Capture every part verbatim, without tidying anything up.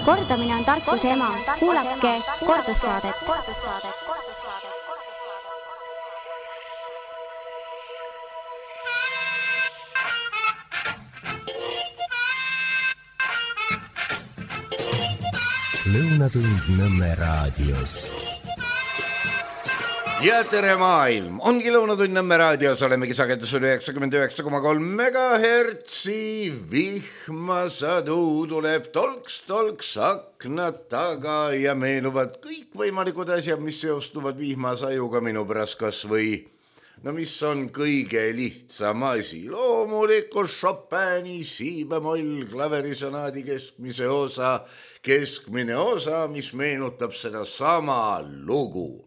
Kordamine on tarkuse ema. Kuulake kordussaadet. Lõunatund Nõmme raadios. Ja tere maailm! Ongi Lõunatund Nõmme raadios, olemegi sagedusel üheksakümmend üheksa koma kolm megahertsi. Vihmasadu tuleb tolks-tolks aknad taga ja meenuvad kõik võimalikud asjad, mis seostuvad vihmasajuga minu pärast kas või. No mis on kõige lihtsam asi? Loomulikult Chopini siibemoll klaverisonaadi keskmise osa, keskmine osa, mis meenutab seda sama lugu.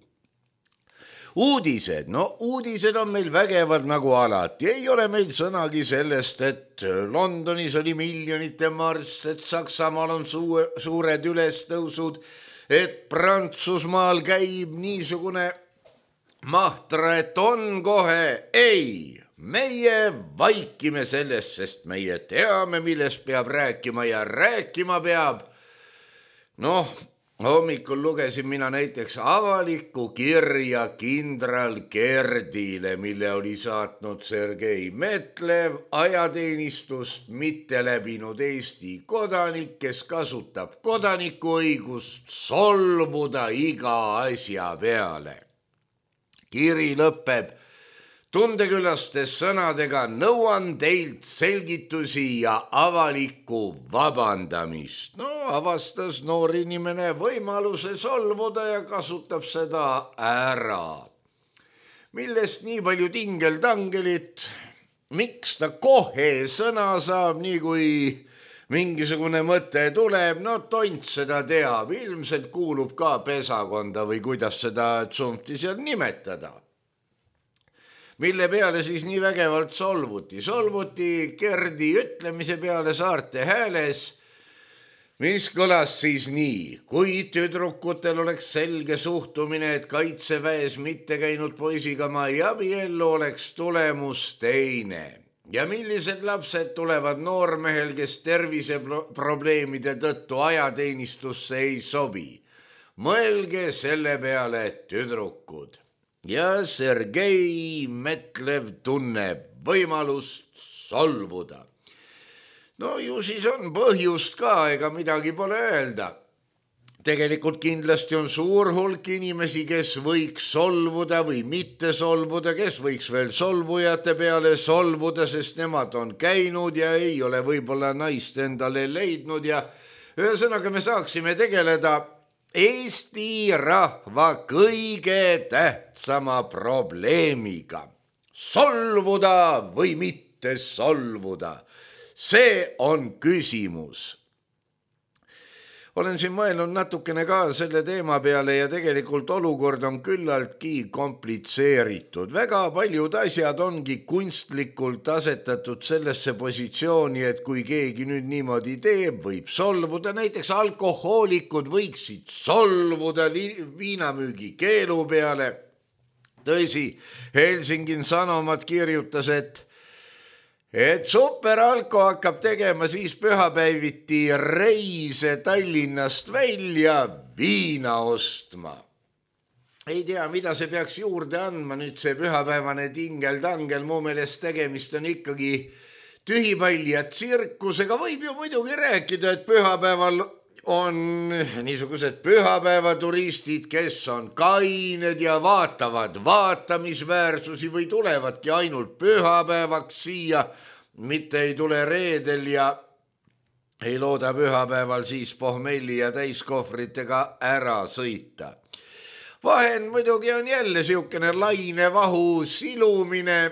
Uudised, no uudised on meil vägevad nagu alati. Ei ole meil sõnagi sellest, et Londonis oli miljonite marss, et Saksamaal on suure, suured ülestõusud, et Prantsusmaal käib niisugune mahtra, et on kohe. Ei, meie vaikime sellest, sest meie teame, millest peab rääkima ja rääkima peab. Noh, hommikul lugesin mina näiteks avalikku kirja kindral Gerdile, mille oli saatnud Sergei Metlev, ajateenistust mitte läbinud Eesti kodanik, kes kasutab kodanikuõigust solvuda iga asja peale. Kiri lõpeb tundekülastes sõnadega: nõuan teilt selgitusi ja avalikku vabandamist. No avastas noor inimene võimaluse solvuda ja kasutab seda ära. Millest nii palju tingeltangelit? Miks ta kohe sõna saab, nii kui mingisugune mõte tuleb? No tont seda teab, ilmselt kuulub ka pesakonda või kuidas seda tsumpti seal nimetada. Mille peale siis nii vägevalt solvuti? Solvuti Gerdi ütlemise peale Saarte Hääles, mis kõlas siis nii: kui tüdrukutel oleks selge suhtumine, et kaitseväes mitte käinud poisiga ma ei abiellu, oleks tulemus teine. Ja millised lapsed tulevad noormehel, kes terviseprobleemide tõttu ajateenistusse ei sobi? Mõelge selle peale, tüdrukud. Ja Sergei Metlev tunneb võimalust solvuda. No ju siis on põhjust ka, ega midagi pole öelda. Tegelikult kindlasti on suur hulk inimesi, kes võiks solvuda või mitte solvuda, kes võiks veel solvujate peale solvuda, sest nemad on käinud ja ei ole võib-olla naist endale leidnud ja ühesõnaga me saaksime tegeleda Eesti rahva kõige tähtsama probleemiga. Solvuda või mitte solvuda? See on küsimus. Olen siin mõelnud natukene ka selle teema peale ja tegelikult olukord on küllaltki komplitseeritud. Väga paljud asjad ongi kunstlikult asetatud sellesse positsiooni, et kui keegi nüüd niimoodi teeb, võib solvuda. Näiteks alkohoolikud võiksid solvuda viinamüügi keelu peale. Tõsi, Helsingin Sanomat kirjutas, et Et superalko hakkab tegema siis pühapäeviti reise Tallinnast välja viina ostma. Ei tea, mida see peaks juurde andma nüüd see pühapäevane tingel-tangel. Mu meelest tegemist on ikkagi tühipall ja tsirkusega. Võib ju muidugi rääkida, et pühapäeval on niisugused pühapäevaturistid, kes on kained ja vaatavad vaatamisväärsusi või tulevadki ainult pühapäevaks siia, mitte ei tule reedel ja ei looda pühapäeval siis pohmelli ja täiskohvritega ära sõita. Vahend muidugi on jälle siukene lainevahu silumine.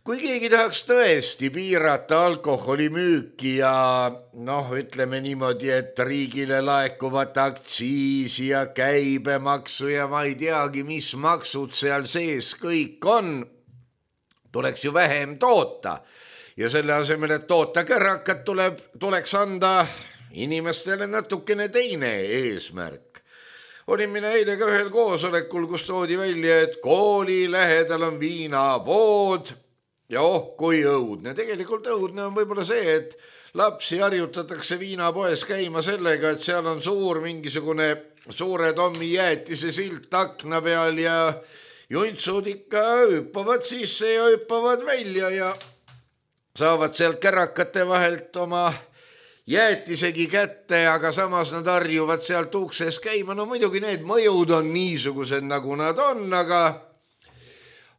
Kui keegi tahaks tõesti piirata alkoholimüüki ja noh, ütleme niimoodi, et riigile laekuvat aktsiisi ja käibemaksu ja ma ei teagi, mis maksud seal sees kõik on, tuleks ju vähem toota. Ja selle asemel, et toota kärakat, tuleb, tuleks anda inimestele natukene teine eesmärk. Olin mina eile ka ühel koosolekul, kus toodi välja, et kooli lähedal on viinapood ja oh, kui õudne. Tegelikult õudne on võib-olla see, et lapsi harjutatakse viinapoes käima sellega, et seal on suur mingisugune suure Tommi jäätise silt akna peal ja juntsud ikka hüppavad sisse ja hüppavad välja ja saavad sealt kärakate vahelt oma jäätisegi kätte, aga samas nad harjuvad sealt ukses käima. No muidugi need mõjud on niisugused, nagu nad on, aga,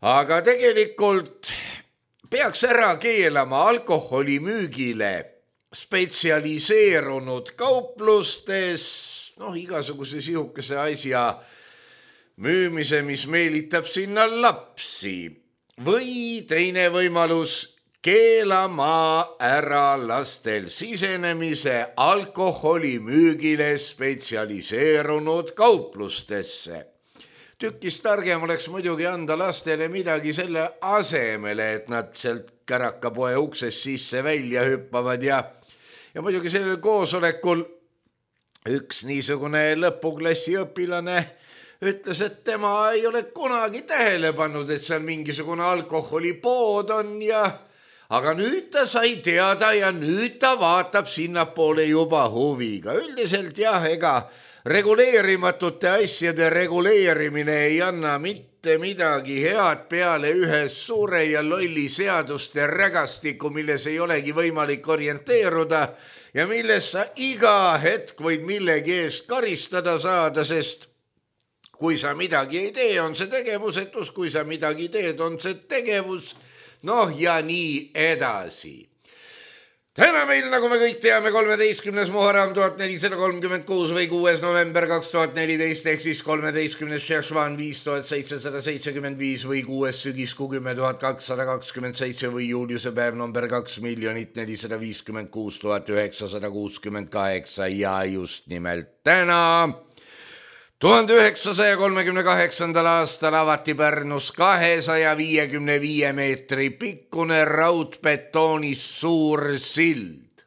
aga tegelikult peaks ära keelama alkoholi müügile spetsialiseerunud kauplustes, noh, igasuguse sihukese asja müümise, mis meelitab sinna lapsi. Või teine võimalus, keelama ära lastel sisenemise alkoholi müügile spetsialiseerunud kauplustesse. Tükis targem oleks muidugi anda lastele midagi selle asemele, et nad sealt kärakapoe ukses sisse välja hüppavad ja, ja muidugi sellel koosolekul üks niisugune lõpuklassi õpilane ütles, et tema ei ole kunagi tähele pannud, et seal mingisugune alkoholipood on ja aga nüüd ta sai teada ja nüüd ta vaatab sinnapoole juba huviga. Üldiselt jah, ega reguleerimatute asjade reguleerimine ei anna mitte midagi head peale ühe suure ja lolli seaduste rägastiku, milles ei olegi võimalik orienteeruda ja milles sa iga hetk võid millegi eest karistada saada, sest kui sa midagi ei tee, on see tegevusetus, kui sa midagi teed, on see tegevus, noh ja nii edasi. Täna meil, nagu me kõik teame, kolmeteistkümnes Muharram tuhat nelisada kolmkümmend kuus või kuues november kaks tuhat neliteist ehk siis kolmeteistkümnes Šešvan viis tuhat seitsesada seitsekümmend viis või kuues sügiskuu kümme tuhat kakssada kakskümmend seitse või juuliuse päev number kaks miljonit nelisada viiskümmend kuus tuhat üheksasada kuuskümmend kaheksa ja just nimelt täna tuhande üheksasaja kolmekümne kaheksandal aastal avati Pärnus kahesaja viiekümne viie meetri pikkune raudbetoonis suur sild.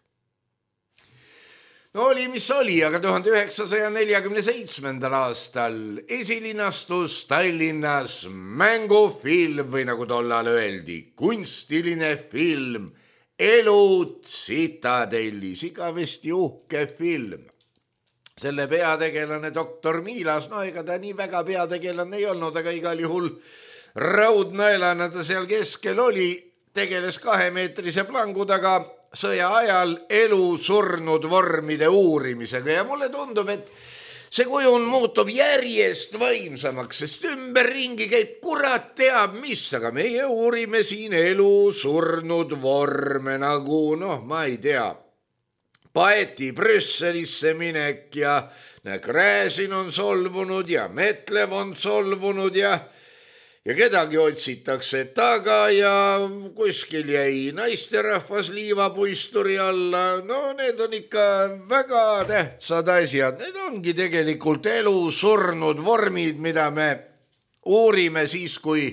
No oli, mis oli, aga tuhande üheksasaja neljakümne seitsmendal aastal esilinastus Tallinnas mängufilm või nagu tollal öeldi, kunstiline film Elu tsitadellis, igavesti uhke film. Selle peategelane doktor Miilas, no ega ta nii väga peategelane ei olnud, aga igal juhul raudnaelana ta seal keskel oli, tegeles kahemeetrise plangu taga sõja ajal elu surnud vormide uurimisega ja mulle tundub, et see kujun muutub järjest vaimsamaks, sest ümberringi käib kurat teab mis, aga meie uurime siin elu surnud vorme nagu, noh, ma ei tea, Paeti Brüsselisse minek ja Gräzin on solvunud ja Metlev on solvunud ja, ja kedagi otsitakse taga ja kuskil jäi naisterahvas liivapuisturi alla. No need on ikka väga tähtsad asjad. Need ongi tegelikult elu surnud vormid, mida me uurime siis, kui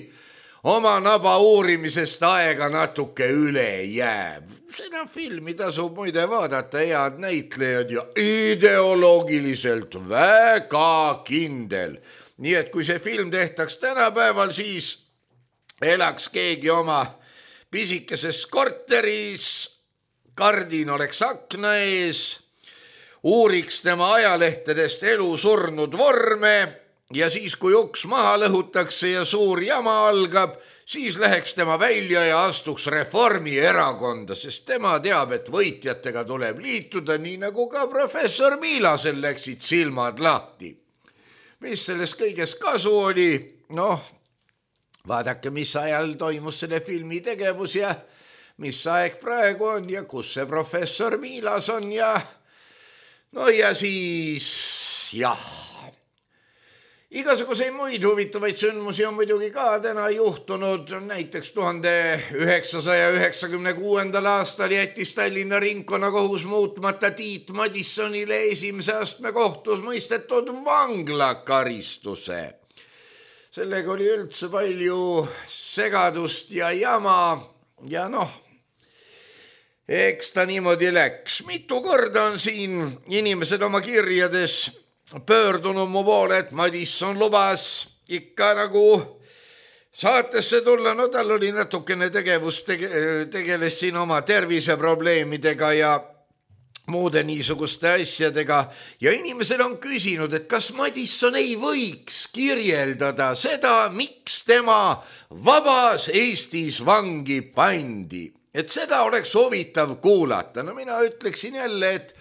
oma naba uurimisest aega natuke üle jääb. Seda filmi tasub muide vaadata, head näitlejad ja ideoloogiliselt väga kindel. Nii et kui see film tehtaks tänapäeval, siis elaks keegi oma pisikeses korteris, kardin oleks akna ees, uuriks tema ajalehtedest elu surnud vorme ja siis, kui uks maha lõhutakse ja suur jama algab, siis läheks tema välja ja astuks Reformierakonda, sest tema teab, et võitjatega tuleb liituda, nii nagu ka professor Miilasel läksid silmad lahti. Mis sellest kõigest kasu oli? Noh, vaadake, mis ajal toimus selle filmi tegevus ja mis aeg praegu on ja kus see professor Miilas on ja no ja siis jah. Igasuguseid muid huvitavaid sündmusi on muidugi ka täna juhtunud. Näiteks tuhande üheksasaja üheksakümne kuuendal aastal jättis Tallinna ringkonnakohus muutmata Tiit Madissonile esimese astme kohtus mõistetud vanglakaristuse. Sellega oli üldse palju segadust ja jama ja noh, eks ta niimoodi läks. Mitu korda on siin inimesed oma kirjades pöördunud mu poole, et Madisson lubas ikka nagu saatesse tulla, no tal oli natukene tegevust, tege, tegeles siin oma terviseprobleemidega ja muude niisuguste asjadega ja inimesed on küsinud, et kas Madisson ei võiks kirjeldada seda, miks tema vabas Eestis vangi pandi, et seda oleks huvitav kuulata. No mina ütleksin jälle, et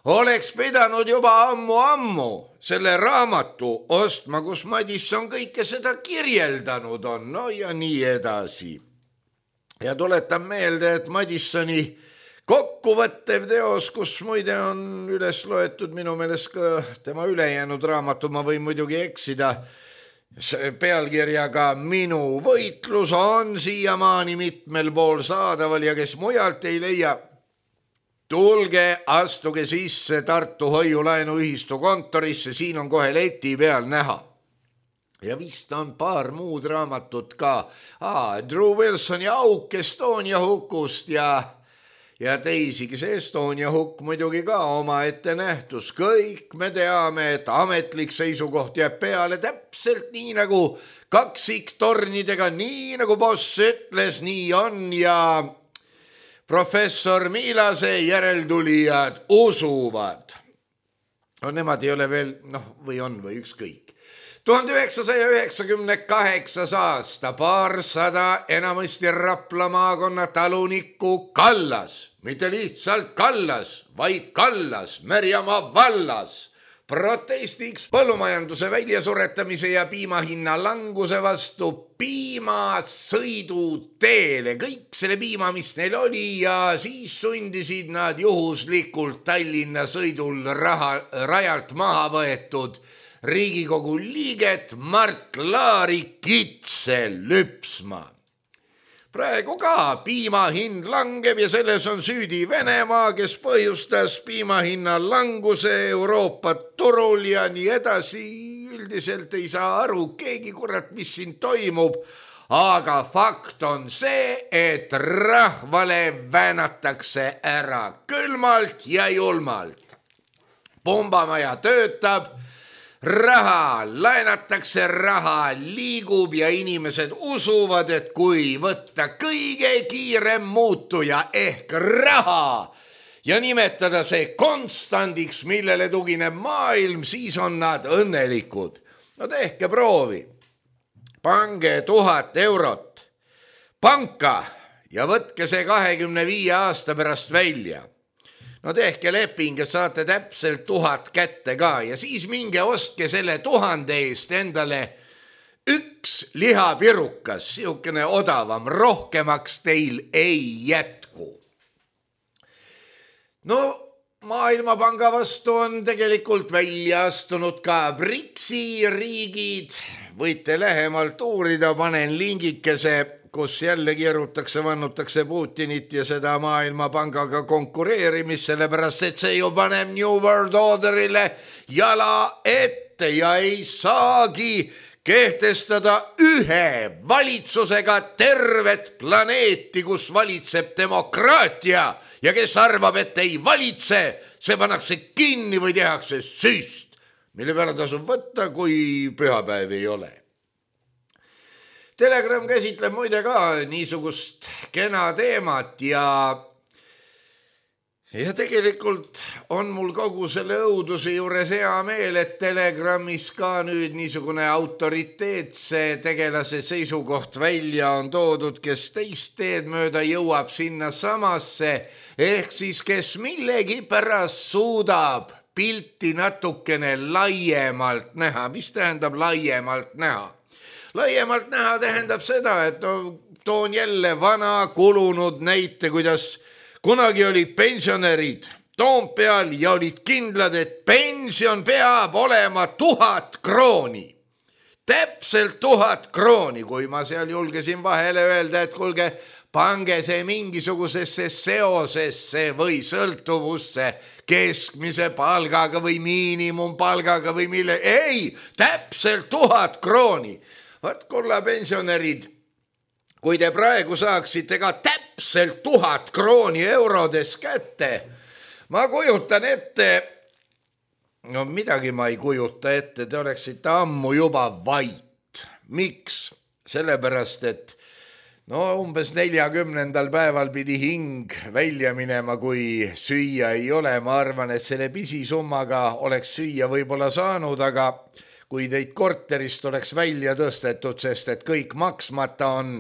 oleks pidanud juba ammu-ammu selle raamatu ostma, kus Madisson kõike seda kirjeldanud on, no ja nii edasi. Ja tuletan meelde, et Madissoni kokkuvõttev teos, kus muide on üles loetud minu meelest ka tema ülejäänud raamatu, ma võin muidugi eksida, pealkirjaga Minu võitlus on siiamaani mitmel pool saadaval ja kes mujalt ei leia, tulge, astuge sisse Tartu Hoiu-laenuühistu kontorisse, siin on kohe leti peal näha. Ja vist on paar muud raamatut ka. Aa, Drew Wilsoni Auk Estonia hukust ja ja teisigi, see Estonia hukk muidugi ka oma ette nähtus. Kõik me teame, et ametlik seisukoht jääb peale täpselt nii nagu kaksiktornidega, nii nagu boss ütles, nii on ja professor Miilase järeltulijad usuvad. No nemad ei ole veel, noh, või on või ükskõik. tuhande üheksasaja üheksakümne kaheksas aasta, paarsada enamasti Rapla maakonna talunikku Kallas, mitte lihtsalt Kallas, vaid Kallas Märjamaa vallas, protestiks põllumajanduse väljasuretamise ja piimahinna languse vastu piimasõidu teele. Kõik selle piima, mis neil oli ja siis sundisid nad juhuslikult Tallinna sõidul raha, rajalt maha võetud Riigikogu liiget Mart Laari kitse lüpsma. Praegu ka piimahind langeb ja selles on süüdi Venemaa, kes põhjustas piimahinna languse Euroopa turul ja nii edasi. Üldiselt ei saa aru keegi, kurat, mis siin toimub, aga fakt on see, et rahvale väänatakse ära külmalt ja julmalt. Pumbamaja töötab, raha laenatakse, raha liigub ja inimesed usuvad, et kui võtta kõige kiirem muutuja ehk raha ja nimetada see konstandiks, millele tugineb maailm, siis on nad õnnelikud. No tehke proovi. Pange tuhat eurot panka ja võtke see kahekümne viie aasta pärast välja. No tehke leping ja saate täpselt tuhat kätte ka ja siis minge ostke selle tuhande eest endale üks lihapirukas, siukene odavam, rohkemaks teil ei jätku. No Maailmapanga vastu on tegelikult välja astunud ka BRICS-i riigid, võite lähemalt uurida, panen lingikese, kus jälle keerutakse, vannutakse Putinit ja seda Maailmapangaga konkureerimist, sellepärast et see ju paneb New World Orderile jala ette ja ei saagi kehtestada ühe valitsusega tervet planeeti, kus valitseb demokraatia ja kes arvab, et ei valitse, see pannakse kinni või tehakse süst, mille peale tasub võtta, kui pühapäev ei ole. Telegram käsitleb muide ka niisugust kena teemat ja, ja tegelikult on mul kogu selle õuduse juures hea meel, et Telegramis ka nüüd niisugune autoriteetse tegelase seisukoht välja on toodud, kes teist teed mööda jõuab sinna samasse, ehk siis kes millegi pärast suudab pilti natukene laiemalt näha. Mis tähendab laiemalt näha? Laiemalt näha tähendab seda, et no, toon jälle vana kulunud näite, kuidas kunagi olid pensionärid Toompeal ja olid kindlad, et pension peab olema tuhat krooni. Täpselt tuhat krooni, kui ma seal julgesin vahele öelda, et kuulge, pange see mingisugusesse seosesse või sõltuvusse keskmise palgaga või miinimumpalgaga või mille. Ei, täpselt tuhat krooni. Vaat kulla pensionärid, kui te praegu saaksite ka täpselt tuhat krooni eurodes kätte, ma kujutan ette, no midagi ma ei kujuta ette, te oleksite ammu juba vait. Miks? sellepärast, et no umbes neljakümnendal päeval pidi hing välja minema, kui süüa ei ole. Ma arvan, et selle pisisummaga oleks süüa võib-olla saanud, aga kui teid korterist oleks välja tõstetud, sest et kõik maksmata on,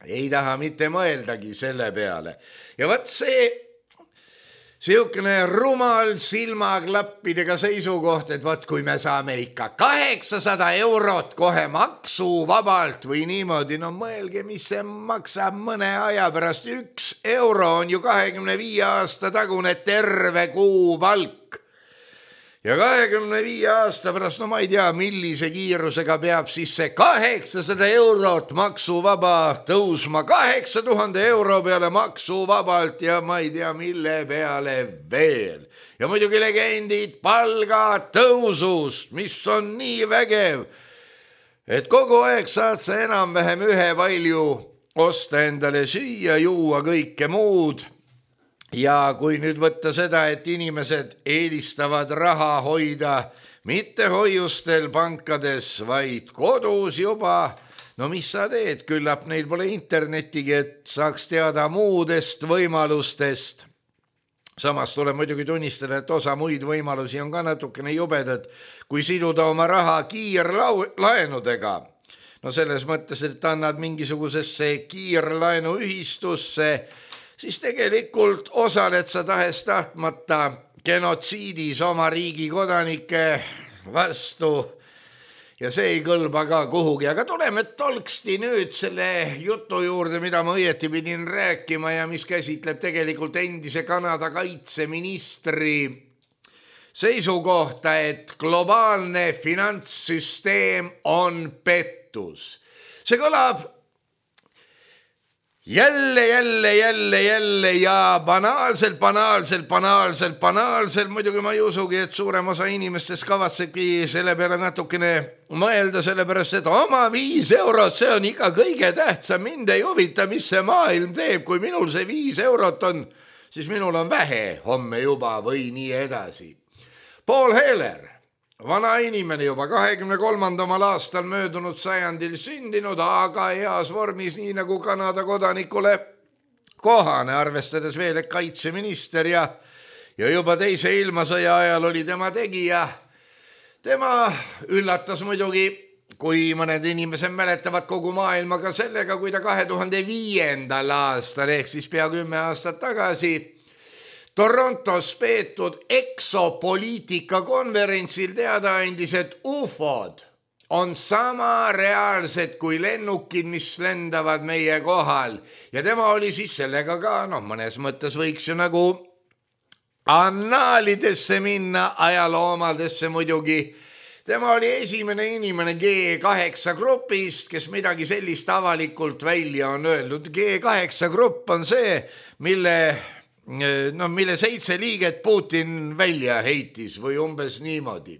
ei taha mitte mõeldagi selle peale. Ja võt see siukene rumal silmaklappidega seisukoht, et võt kui me saame ikka kaheksasada eurot kohe maksuvabalt või niimoodi, no mõelge, mis see maksab mõne aja pärast. Üks euro on ju kahekümne viie aasta tagune terve kuu palk. Ja kahekümne viie aasta pärast, no ma ei tea, millise kiirusega peab siis see kaheksasada eurot maksuvaba tõusma kaheksa tuhande euro peale maksuvabalt ja ma ei tea, mille peale veel. Ja muidugi legendid palgatõusust, mis on nii vägev, et kogu aeg saad sa enam-vähem ühe palju osta endale süüa, juua, kõike muud. Ja kui nüüd võtta seda, et inimesed eelistavad raha hoida mitte hoiustel pankades, vaid kodus juba, no mis sa teed, küllap neil pole internetigi, et saaks teada muudest võimalustest. Samas tuleb muidugi tunnistada, et osa muid võimalusi on ka natukene jubedad, kui siduda oma raha kiirlaenudega. No selles mõttes, et annad mingisugusesse kiirlaenuühistusse, siis tegelikult osaled sa tahes tahtmata genotsiidis oma riigi kodanike vastu ja see ei kõlba ka kuhugi. Aga tuleme tolksti nüüd selle jutu juurde, mida ma õieti pidin rääkima ja mis käsitleb tegelikult endise Kanada kaitseministri seisukohta, et globaalne finantssüsteem on pettus. See kõlab Jälle, jälle, jälle, jälle ja banaalselt, banaalselt, banaalselt, banaalselt. Muidugi ma ei usugi, et suurem osa inimestest kavatsebki selle peale natukene mõelda, sellepärast, et oma viis eurot, see on ikka kõige tähtsam. Mind ei huvita, mis see maailm teeb. Kui minul see viis eurot on, siis minul on vähe homme juba või nii edasi. Paul Heller, vana inimene juba kahekümne kolmandamal aastal möödunud sajandil sündinud, aga heas vormis, nii nagu Kanada kodanikule kohane, arvestades veel, et kaitseminister ja, ja juba teise ilmasõja ajal oli tema tegija. Tema üllatas muidugi, kui mõned inimesed mäletavad kogu maailmaga sellega, kui ta kahe tuhande viiendal aastal ehk siis pea kümme aastat tagasi Torontos peetud eksopoliitika konverentsil teada andis, et ufod on sama reaalsed kui lennukid, mis lendavad meie kohal. Ja tema oli siis sellega ka, noh, mõnes mõttes võiks ju nagu annaalidesse minna, ajaloomadesse muidugi. Tema oli esimene inimene G kaheksa grupist, kes midagi sellist avalikult välja on öelnud. G kaheksa grupp on see, mille... no mille seitse liiget Putin välja heitis või umbes niimoodi.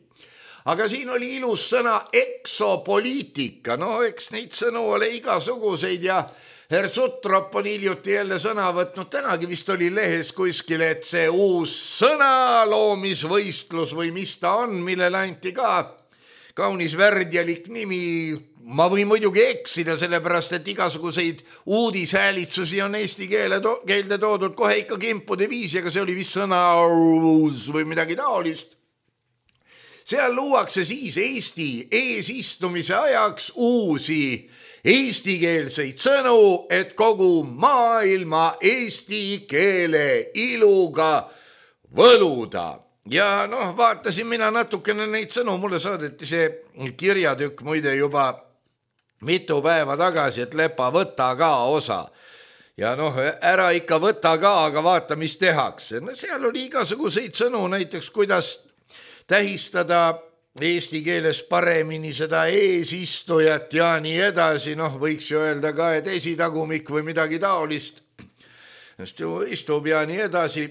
Aga siin oli ilus sõna eksopoliitika, no eks neid sõnu ole igasuguseid ja Herr Sutrop on hiljuti jälle sõna võtnud, tänagi vist oli lehes kuskil, et see uus sõnaloomisvõistlus või mis ta on, millele anti ka kaunis värdjalik nimi. Ma võin muidugi eksida, sellepärast, et igasuguseid uudishäälitsusi on eesti keele to- keelde toodud kohe ikka kimpude viisi, aga see oli vist sõna või midagi taolist. Seal luuakse siis Eesti eesistumise ajaks uusi eestikeelseid sõnu, et kogu maailma eesti keele iluga võluda. Ja noh, vaatasin mina natukene neid sõnu, mulle saadeti see kirjatükk muide juba mitu päeva tagasi, et Lepa, võta ka osa. Ja noh, ära ikka võta ka, aga vaata, mis tehakse. No seal oli igasuguseid sõnu, näiteks kuidas tähistada eesti keeles paremini seda eesistujat ja nii edasi. Noh, võiks ju öelda ka, et esitagumik või midagi taolist. Just ju istub ja nii edasi.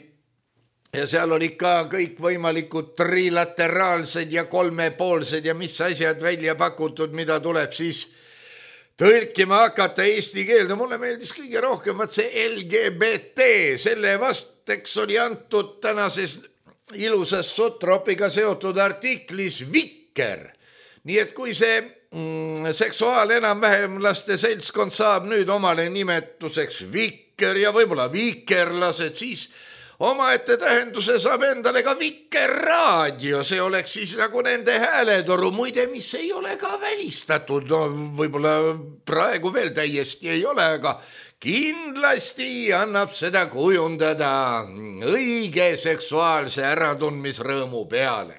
Ja seal oli ka kõik võimalikud trilateraalsed ja kolmepoolsed ja mis asjad välja pakutud, mida tuleb siis tõlkima hakata eesti keelde. Mulle meeldis kõige rohkem vaat see L G B T, selle vasteks oli antud tänases ilusas Sutropiga seotud artiklis Vikker. Nii et kui see mm, seksuaal enam-vähem laste seltskond saab nüüd omale nimetuseks vikker ja võib-olla vikerlased, siis omaette tähenduse saab endale ka Vikerraadio, see oleks siis nagu nende hääletoru, muide, mis ei ole ka välistatud, no võib-olla praegu veel täiesti ei ole, aga kindlasti annab seda kujundada õige seksuaalse äratundmisrõõmu peale.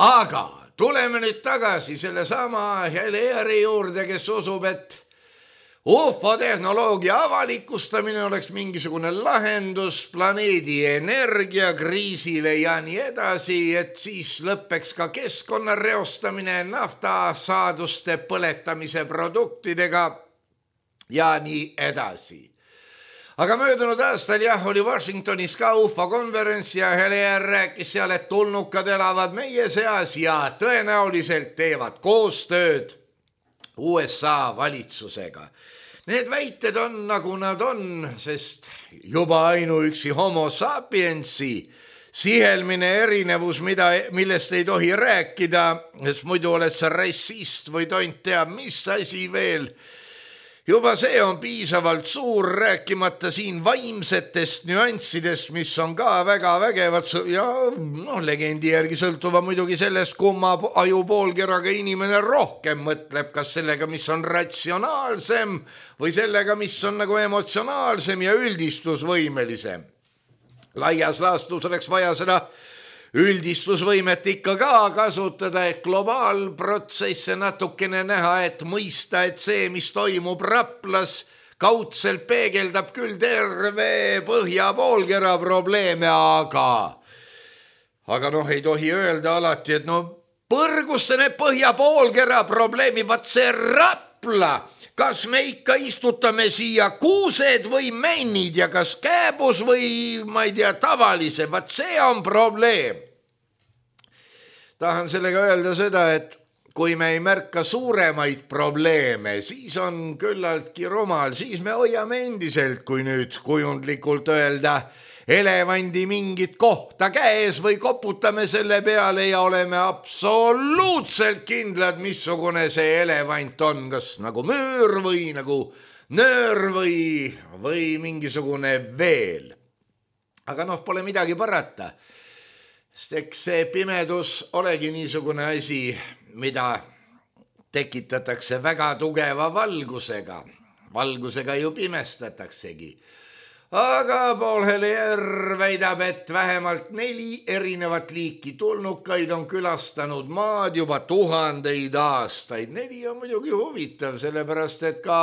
Aga tuleme nüüd tagasi selle sama Helieri juurde, kes usub, et U F O-tehnoloogia avalikustamine oleks mingisugune lahendus planeedi energiakriisile ja nii edasi, et siis lõppeks ka keskkonna reostamine naftasaaduste põletamise produktidega ja nii edasi. Aga möödunud aastal jah, oli Washingtonis ka U F O konverents ja Helier rääkis seal, et tulnukad elavad meie seas ja tõenäoliselt teevad koostööd U S A valitsusega. Need väited on nagu nad on, sest juba ainuüksi homo sapiensi sihelmine erinevus, mida, millest ei tohi rääkida, sest muidu oled sa rassist või tont teab, mis asi veel. Juba see on piisavalt suur, rääkimata siin vaimsetest nüanssidest, mis on ka väga vägevad ja no, legendi järgi sõltuva muidugi sellest, kumma ajupoolkeraga inimene rohkem mõtleb, kas sellega, mis on ratsionaalsem või sellega, mis on nagu emotsionaalsem ja üldistusvõimelisem. Laias laastus oleks vaja seda üldistusvõimet ikka ka kasutada, et globaalprotsesse natukene näha, et mõista, et see, mis toimub Raplas, kaudselt peegeldab küll terve põhjapoolkera probleeme, aga aga noh, ei tohi öelda alati, et no põrgusse need põhjapoolkera probleemi, vaat see Rapla, kas me ikka istutame siia kuused või männid ja kas kääbus või ma ei tea, tavalise, vaat see on probleem. Tahan sellega öelda seda, et kui me ei märka suuremaid probleeme, siis on küllaltki rumal, siis me hoiame endiselt, kui nüüd kujundlikult öelda, elevandi mingit kohta käes või koputame selle peale ja oleme absoluutselt kindlad, missugune see elevant on, kas nagu müür või nagu nöör või, või mingisugune veel. Aga noh, pole midagi parata, sest eks see pimedus olegi niisugune asi, mida tekitatakse väga tugeva valgusega. Valgusega ju pimestataksegi. Aga Paul Helier väidab, et vähemalt neli erinevat liiki tulnukaid on külastanud maad juba tuhandeid aastaid. Neli on muidugi huvitav, sellepärast et ka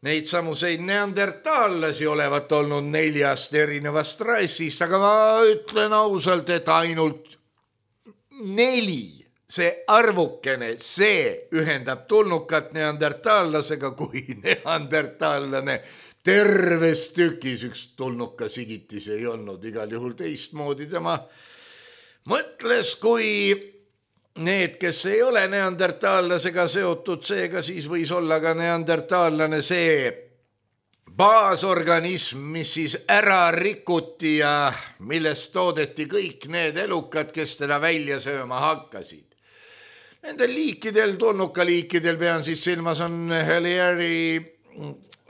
neid samuseid neandertaallasi olevat olnud neljast erinevast rassist, aga ma ütlen ausalt, et ainult neli, see arvukene, see ühendab tulnukat neandertaallasega, kui neandertaallane terves tükis üks tulnuka sigitis ei olnud, igal juhul teistmoodi tema mõtles, kui need, kes ei ole neandertaallasega seotud, seega siis võis olla ka neandertaallane see baasorganism, mis siis ära rikuti ja millest toodeti kõik need elukad, kes teda välja sööma hakkasid. Nendel liikidel, tulnukaliikidel pean siis silmas on Helieri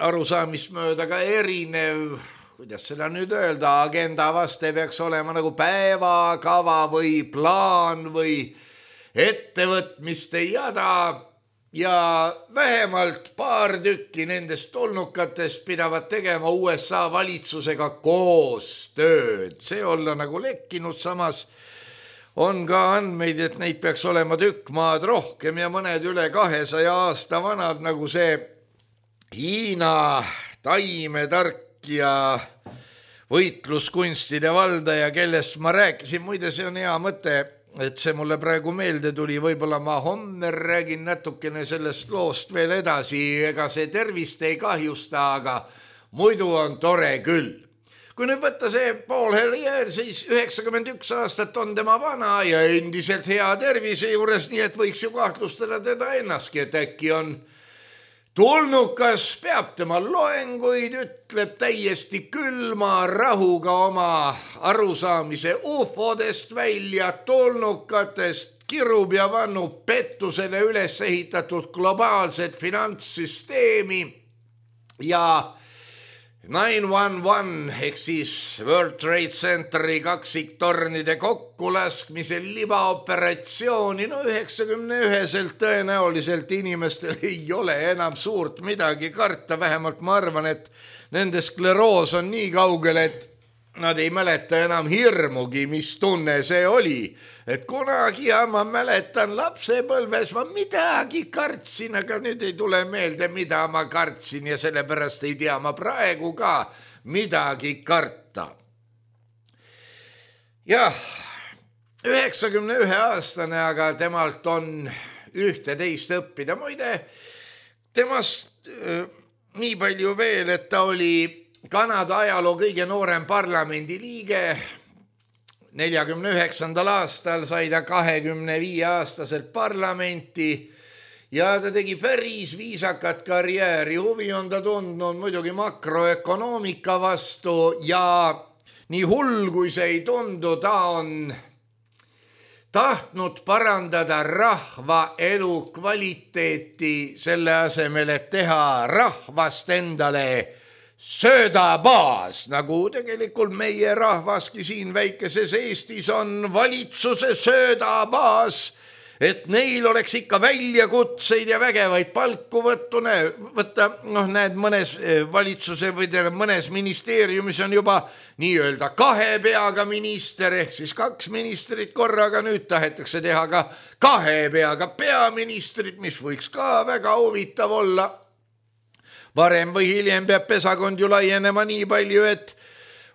arusaamist mööda ka erinev, kuidas seda nüüd öelda, agenda vaste peaks olema nagu päevakava või plaan või ettevõtmiste jada ja vähemalt paar tükki nendest tulnukatest pidavad tegema U S A valitsusega koostööd. See olla nagu lekkinud, samas on ka andmeid, et neid peaks olema tükk maad rohkem ja mõned üle kahesaja aasta vanad, nagu see Hiina taimetark ja võitluskunstide valdaja, kellest ma rääkisin. Muide, see on hea mõte, et see mulle praegu meelde tuli, võib-olla ma homme räägin natukene sellest loost veel edasi, ega see tervist ei kahjusta, aga muidu on tore küll. Kui nüüd võtta see Paul Helier, siis üheksakümmend üks aastat on tema vana ja endiselt hea tervise juures, nii et võiks ju kahtlustada teda ennastki, et äkki on tulnukas, peab tema loenguid, ütleb täiesti külma rahuga oma arusaamise U F O-dest välja, tulnukatest, kirub ja vannub pettusele üles ehitatud globaalset finantssüsteemi ja nine one one ehk siis World Trade Centeri kaksiktornide kokkulaskmisel libaoperatsiooni, no üheksakümne üheselt tõenäoliselt inimestel ei ole enam suurt midagi karta, vähemalt ma arvan, et nende skleroos on nii kaugel, et nad ei mäleta enam hirmugi, mis tunne see oli. Et kunagi ja ma mäletan lapsepõlves, ma midagi kartsin, aga nüüd ei tule meelde, mida ma kartsin ja sellepärast ei tea ma praegu ka midagi karta. Jah, üheksakümne ühe aastane, aga temalt on ühte-teist õppida. Muide, temast äh, nii palju veel, et ta oli Kanada ajaloo kõige noorem parlamendi liige. neljakümne üheksandal aastal sai ta kahekümne viie aastaselt parlamenti ja ta tegi päris viisakat karjääri. Huvi on ta tundnud muidugi makroökonoomika vastu ja nii hull kui see ei tundu, ta on tahtnud parandada rahva elu kvaliteeti selle asemel, et teha rahvast endale söödabaas, nagu tegelikult meie rahvaski siin väikeses Eestis on valitsuse söödabaas, et neil oleks ikka väljakutseid ja vägevaid palku võttune, võtta, noh näed, mõnes valitsuse või mõnes ministeeriumis on juba nii-öelda kahe peaga minister, ehk siis kaks ministrit korraga, nüüd tahetakse teha ka kahe peaga peaministrit, mis võiks ka väga huvitav olla. Varem või hiljem peab pesakond ju laienema nii palju, et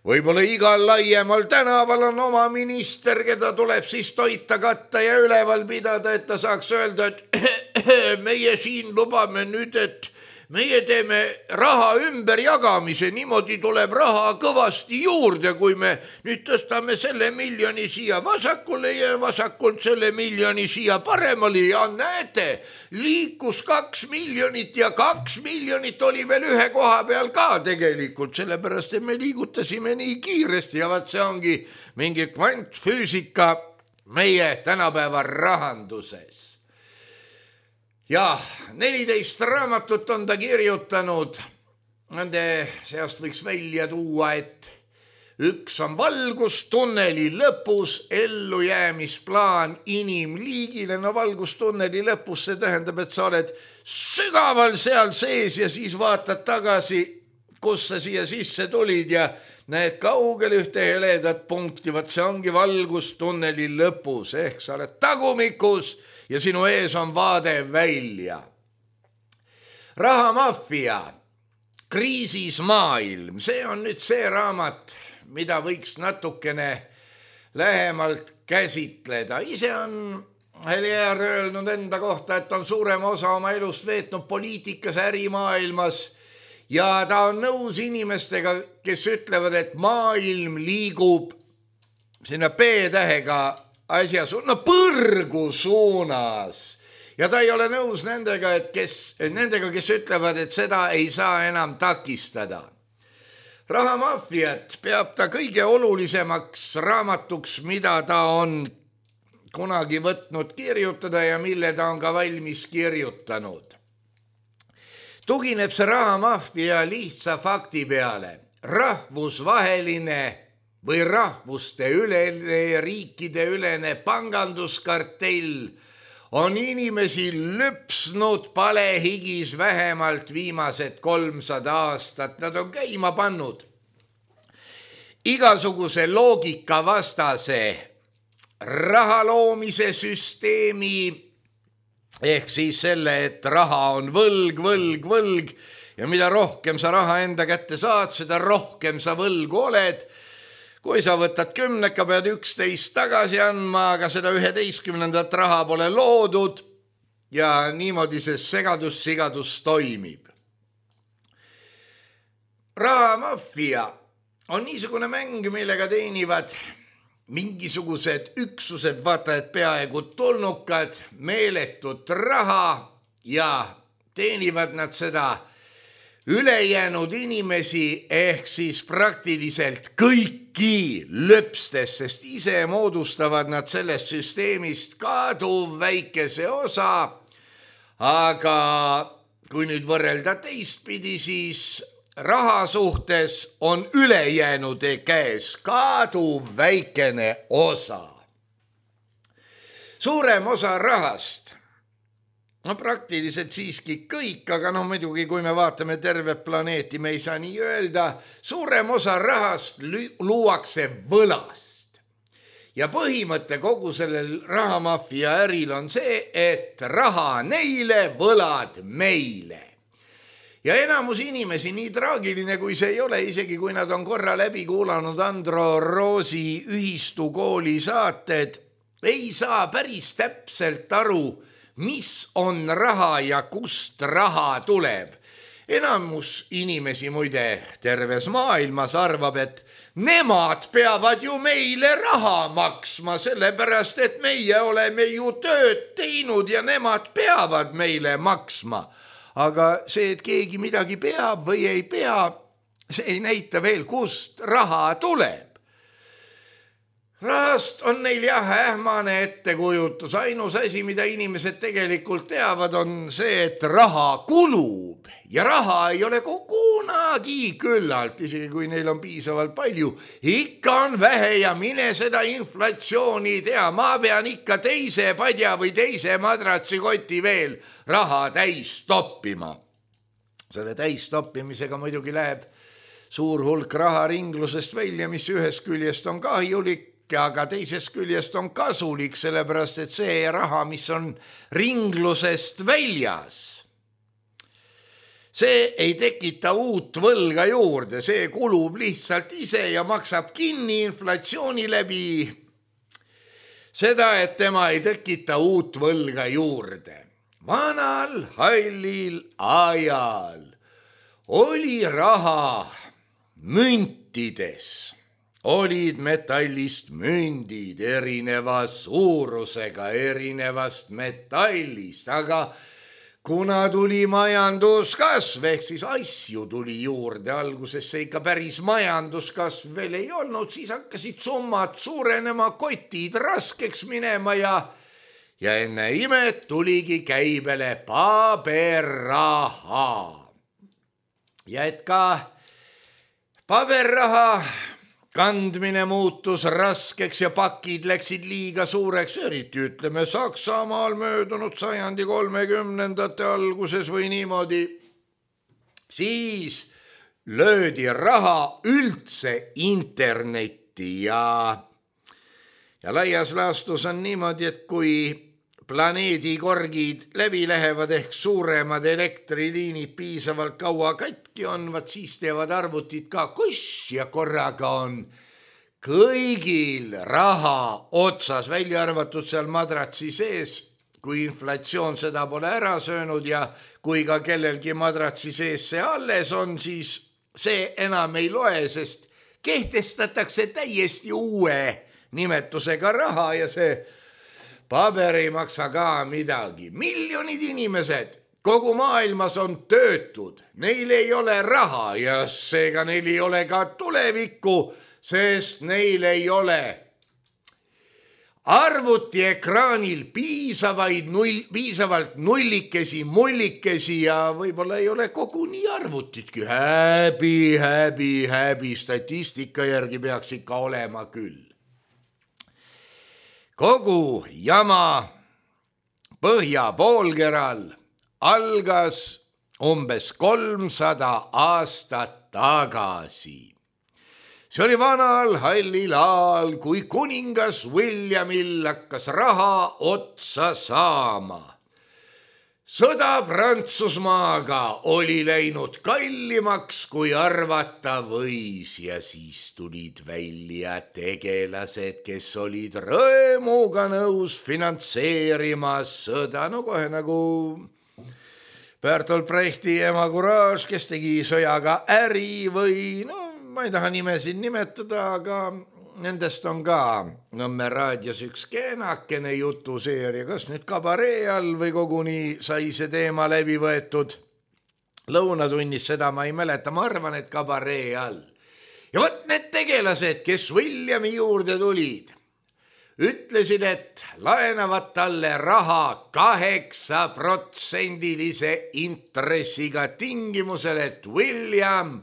võib-olla igal laiemal tänaval on oma minister, keda tuleb siis toita, katta ja üleval pidada, et ta saaks öelda, et meie siin lubame nüüd, et meie teeme raha ümberjagamise, niimoodi tuleb raha kõvasti juurde, kui me nüüd tõstame selle miljoni siia vasakule ja vasakult selle miljoni siia paremale ja näete, liikus kaks miljonit ja kaks miljonit oli veel ühe koha peal ka tegelikult, sellepärast et me liigutasime nii kiiresti ja vaat see ongi mingi kvantfüüsika meie tänapäeva rahanduses. Ja neliteist raamatut on ta kirjutanud, nende seast võiks välja tuua, et üks on valgustunneli lõpus ellujäämisplaan inimliigile. No valgustunneli lõpus see tähendab, et sa oled sügaval seal sees ja siis vaatad tagasi, kus sa siia sisse tulid ja näed kaugel ühte heledat punkti, vaat see ongi valgustunneli lõpus, ehk sa oled tagumikus ja sinu ees on vaade välja. Rahamafia, kriisis maailm, see on nüüd see raamat, mida võiks natukene lähemalt käsitleda. Ise on Helier öelnud enda kohta, et on suurema osa oma elust veetnud poliitikas, ärimaailmas ja ta on nõus inimestega, kes ütlevad, et maailm liigub sinna B-tähega asja su-, no põrgu suunas. Ja ta ei ole nõus nendega, et kes, nendega, kes ütlevad, et seda ei saa enam takistada. Rahamafiat peab ta kõige olulisemaks raamatuks, mida ta on kunagi võtnud kirjutada ja mille ta on ka valmis kirjutanud. Tugineb see rahamafia lihtsa fakti peale. Rahvusvaheline või rahvuste ülene ja riikide ülene panganduskartell on inimesi lüpsnud palehigis vähemalt viimased kolmsada aastat. Nad on käima pannud igasuguse loogika vastase raha loomise süsteemi, ehk siis selle, et raha on võlg, võlg, võlg ja mida rohkem sa raha enda kätte saad, seda rohkem sa võlgu oled. Kui sa võtad kümneka, pead üksteist tagasi andma, aga seda üheteistkümnendat raha pole loodud ja niimoodi see segadus-sigadus toimib. Rahamafia on niisugune mäng, millega teenivad mingisugused üksused, vaata, et peaaegu tulnukad, meeletut raha ja teenivad nad seda ülejäänud inimesi ehk siis praktiliselt kõik kõiki löpstes, sest ise moodustavad nad sellest süsteemist kaduv väikese osa, aga kui nüüd võrrelda teistpidi, siis raha suhtes on ülejäänude käes kaduv väikene osa. Suurem osa rahast, no praktiliselt siiski kõik, aga noh muidugi kui me vaatame tervet planeeti, me ei saa nii öelda, suurem osa rahast luuakse võlast. Ja põhimõte kogu sellel rahamafia äril on see, et raha neile, võlad meile. Ja enamus inimesi, nii traagiline kui see ei ole, isegi kui nad on korra läbi kuulanud Andro Roosi ühistu kooli saated, ei saa päris täpselt aru, mis on raha ja kust raha tuleb. Enamus inimesi muide terves maailmas arvab, et nemad peavad ju meile raha maksma, sellepärast et meie oleme ju tööd teinud ja nemad peavad meile maksma. Aga see, et keegi midagi peab või ei pea, see ei näita veel, kust raha tuleb. Rahast on neil jah ähmane ettekujutus. Ainus asi, mida inimesed tegelikult teavad, on see, et raha kulub ja raha ei ole kunagi küllalt, isegi kui neil on piisavalt palju. Ikka on vähe ja mine seda inflatsiooni tea. Ma pean ikka teise padja või teise madratsikoti veel raha täis toppima. Selle täis toppimisega muidugi läheb suur hulk raha ringlusest välja, mis ühest küljest on kahjulik, aga teisest küljest on kasulik, sellepärast et see raha, mis on ringlusest väljas, see ei tekita uut võlga juurde, see kulub lihtsalt ise ja maksab kinni inflatsiooni läbi seda, et tema ei tekita uut võlga juurde. Vanal hallil ajal oli raha müntides. Olid metallist mündid erineva suurusega, erinevast metallist, aga kuna tuli majanduskasv, ehk siis asju tuli juurde, alguses see ikka päris majanduskasv veel ei olnud, siis hakkasid summad suurenema, kotid raskeks minema ja, ja enne imet tuligi käibele paberraha. Ja et ka paberraha kandmine muutus raskeks ja pakid läksid liiga suureks, eriti ütleme Saksamaal möödunud sajandi kolmekümnendate alguses või niimoodi, siis löödi raha üldse internetti ja, ja laias laastus on niimoodi, et kui planeedi korgid läbi lähevad ehk suuremad elektriliinid piisavalt kaua katki on, vaat siis teevad arvutid ka kus ja korraga on kõigil raha otsas, välja arvatud seal madratsi sees, kui inflatsioon seda pole ära söönud ja kui ka kellelgi madratsi sees see alles on, siis see enam ei loe, sest kehtestatakse täiesti uue nimetusega raha ja see paber ei maksa ka midagi. Miljonid inimesed kogu maailmas on töötud, neil ei ole raha ja seega neil ei ole ka tulevikku, sest neil ei ole arvutiekraanil piisavaid null, piisavalt nullikesi, mullikesi ja võib-olla ei ole koguni arvutitki. Häbi, häbi, häbi, statistika järgi peaks ikka olema küll. Kogu jama põhja poolkeral algas umbes kolmsada aastat tagasi. See oli vanal hallil ajal, kui kuningas Williamil hakkas raha otsa saama. Sõda Prantsusmaaga oli läinud kallimaks, kui arvata võis ja siis tulid välja tegelased, kes olid rõõmuga nõus finantseerima sõda, no kohe nagu Bertolt Brechti ema Courage, kes tegi sõjaga äri või no ma ei taha nimesid nimetada, aga nendest on ka Nõmme raadios üks kenakene jutuseeria, kas nüüd kabaree all või koguni sai see teema läbi võetud lõunatunnis, seda ma ei mäleta, ma arvan, et kabaree all. ja vot need tegelased, kes Williami juurde tulid, ütlesid, et laenavad talle raha kaheksa protsendilise intressiga tingimusel, et William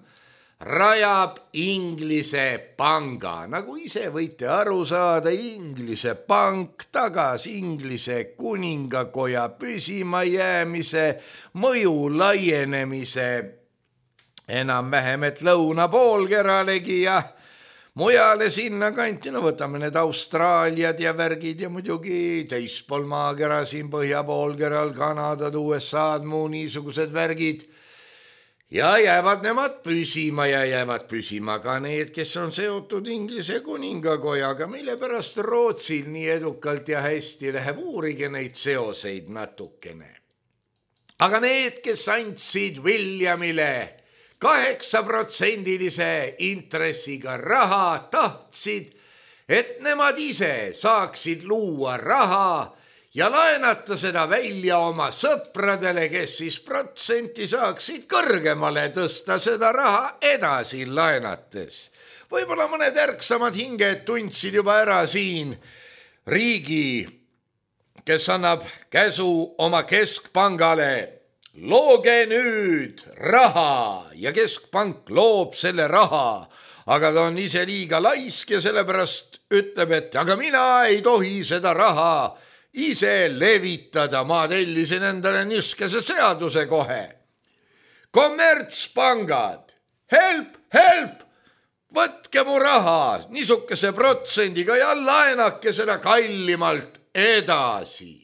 rajab Inglise panga. Nagu ise võite aru saada, Inglise pank tagas Inglise kuningakoja püsimajäämise, mõju laienemise enam-vähem, et lõuna poolkeralegi ja mujale sinna kanti, no võtame need Austraaliad ja värgid ja muidugi teispool maakera siin põhja poolkeral, Kanadad, U S A-d, muu niisugused värgid. Ja jäävad nemad püsima ja jäävad püsima ka need, kes on seotud Inglise kuningakojaga, mille pärast Rootsil nii edukalt ja hästi läheb, uurige neid seoseid natukene. Aga need, kes andsid Williamile kaheksa protsendilise intressiga raha, tahtsid, et nemad ise saaksid luua raha ja laenata seda välja oma sõpradele, kes siis protsenti saaksid kõrgemale tõsta seda raha edasi laenates. Võib-olla mõned ärksamad hinged tundsid juba ära siin riigi, kes annab käsu oma keskpangale. Looge nüüd raha ja keskpank loob selle raha, aga ta on ise liiga laisk ja sellepärast ütleb, et aga mina ei tohi seda raha ise levitada, ma tellisin endale niskese seaduse kohe. Kommertspangad, help, help, võtke mu raha niisugese protsendiga ja laenake seda kallimalt edasi.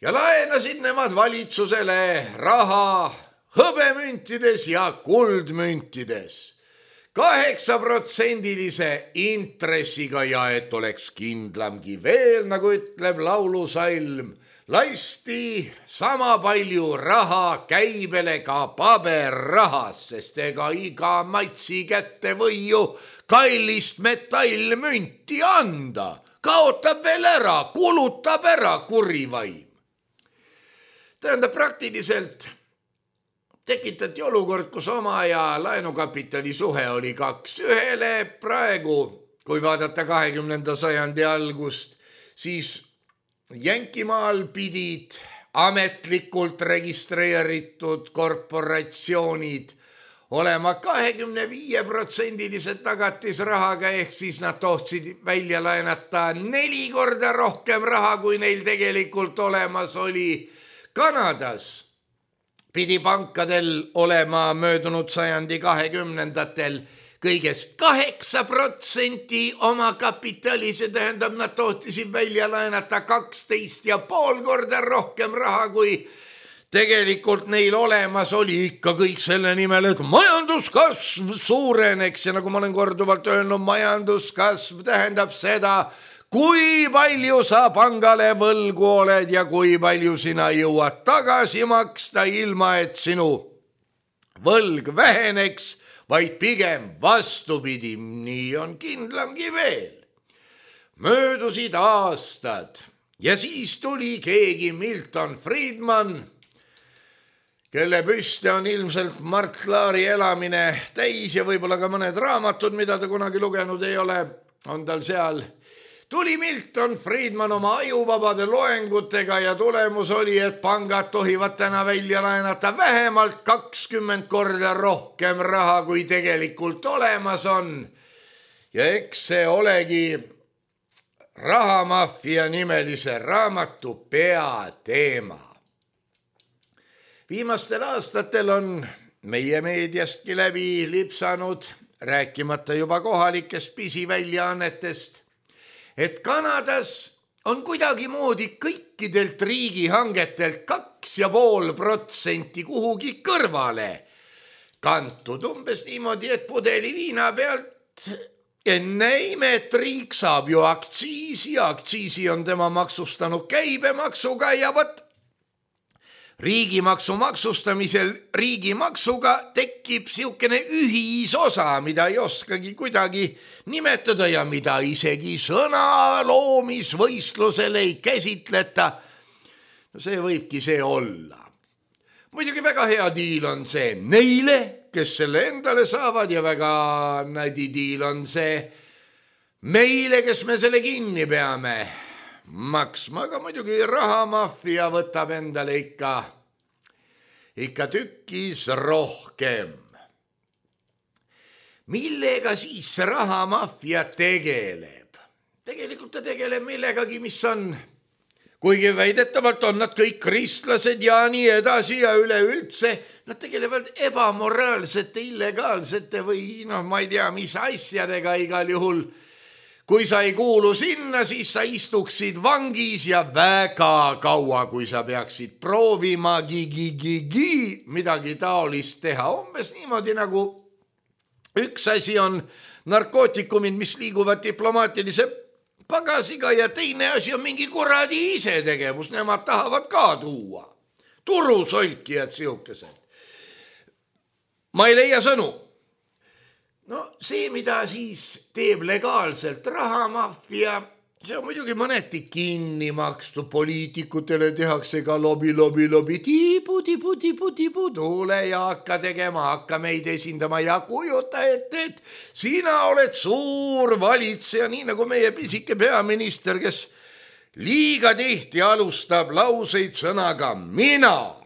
Ja laenasid nemad valitsusele raha hõbemüntides ja kuldmüntides. Kaheksa protsendilise intressiga ja et oleks kindlamgi veel, nagu ütleb laulusalm, lasti sama palju raha käibele ka paberrahas, sest ega iga matsi kätte või ju kallist metallmünti anda. Kaotab veel ära, kulutab ära kurivaim. Tähendab, praktiliselt tekitati olukord, kus oma ja laenukapitali suhe oli kaks ühele. Praegu, kui vaadata kahekümnenda sajandi algust, siis Jänkimaal pidid ametlikult registreeritud korporatsioonid olema kahekümne viie protsendilised tagatisrahaga, ehk siis nad tohtsid välja laenata neli korda rohkem raha, kui neil tegelikult olemas oli. Kanadas pidi pankadel olema möödunud sajandi kahekümnendatel kõigest kaheksa protsenti oma kapitali, see tähendab, nad tohtisid välja laenata kaksteist ja pool korda rohkem raha, kui tegelikult neil olemas oli. Ikka kõik selle nimel, et majanduskasv suureneks ja nagu ma olen korduvalt öelnud, majanduskasv tähendab seda, kui palju sa pangale võlgu oled ja kui palju sina jõuad tagasi maksta, ilma et sinu võlg väheneks, vaid pigem vastupidi, nii on kindlamgi veel. Möödusid aastad ja siis tuli keegi Milton Friedman, kelle püste on ilmselt Mart Laari elamine täis ja võib-olla ka mõned raamatud, mida ta kunagi lugenud ei ole, on tal seal. Tuli Milton Friedman oma ajuvabade loengutega ja tulemus oli, et pangad tohivad täna välja laenata vähemalt kakskümmend korda rohkem raha, kui tegelikult olemas on. Ja eks see olegi Rahamafia nimelise raamatu peateema. Viimastel aastatel on meie meediastki läbi lipsanud, rääkimata juba kohalikest pisiväljaannetest, et Kanadas on kuidagi moodi kõikidelt riigihangetelt kaks ja pool protsenti kuhugi kõrvale kantud. Umbes niimoodi, et pudeli viina pealt enne imet riik saab ju aktsiisi, aktsiisi on tema maksustanud käibemaksuga ja võt riigimaksu maksustamisel riigimaksuga tekib siukene ühisosa, mida ei oskagi kuidagi nimetada ja mida isegi sõna loomisvõistlusel ei käsitleta. No see võibki see olla. Muidugi väga hea diil on see neile, kes selle endale saavad ja väga nadi diil on see meile, kes me selle kinni peame maksma, aga muidugi rahamaffia võtab endale ikka, ikka tükis rohkem. Millega siis see rahamaffia tegeleb? Tegelikult ta tegeleb millegagi, mis on, kuigi väidetavalt on nad kõik kristlased ja nii edasi ja üleüldse, nad tegelevad ebamoraalsete, illegaalsete või noh, ma ei tea, mis asjadega igal juhul. Kui sa ei kuulu sinna, siis sa istuksid vangis ja väga kaua, kui sa peaksid proovima gi-gi-gi-gi midagi taolist teha. Umbes niimoodi nagu üks asi on narkootikumid, mis liiguvad diplomaatilise pagasiga ja teine asi on mingi kuradi ise tegevus. Nemad tahavad ka tuua. Turusolkijad sihukesed. Ma ei leia sõnu. No see, mida siis teeb legaalselt rahamaffia, see on muidugi mõneti kinni makstu. Poliitikutele tehakse ka lobi, lobi, lobi, tiibu, tiibu, tiibu, tiibu, tule ja hakka tegema, hakka meid esindama ja kujuta ette, et sina oled suur valitseja, nii nagu meie pisike peaminister, kes liiga tihti alustab lauseid sõnaga mina.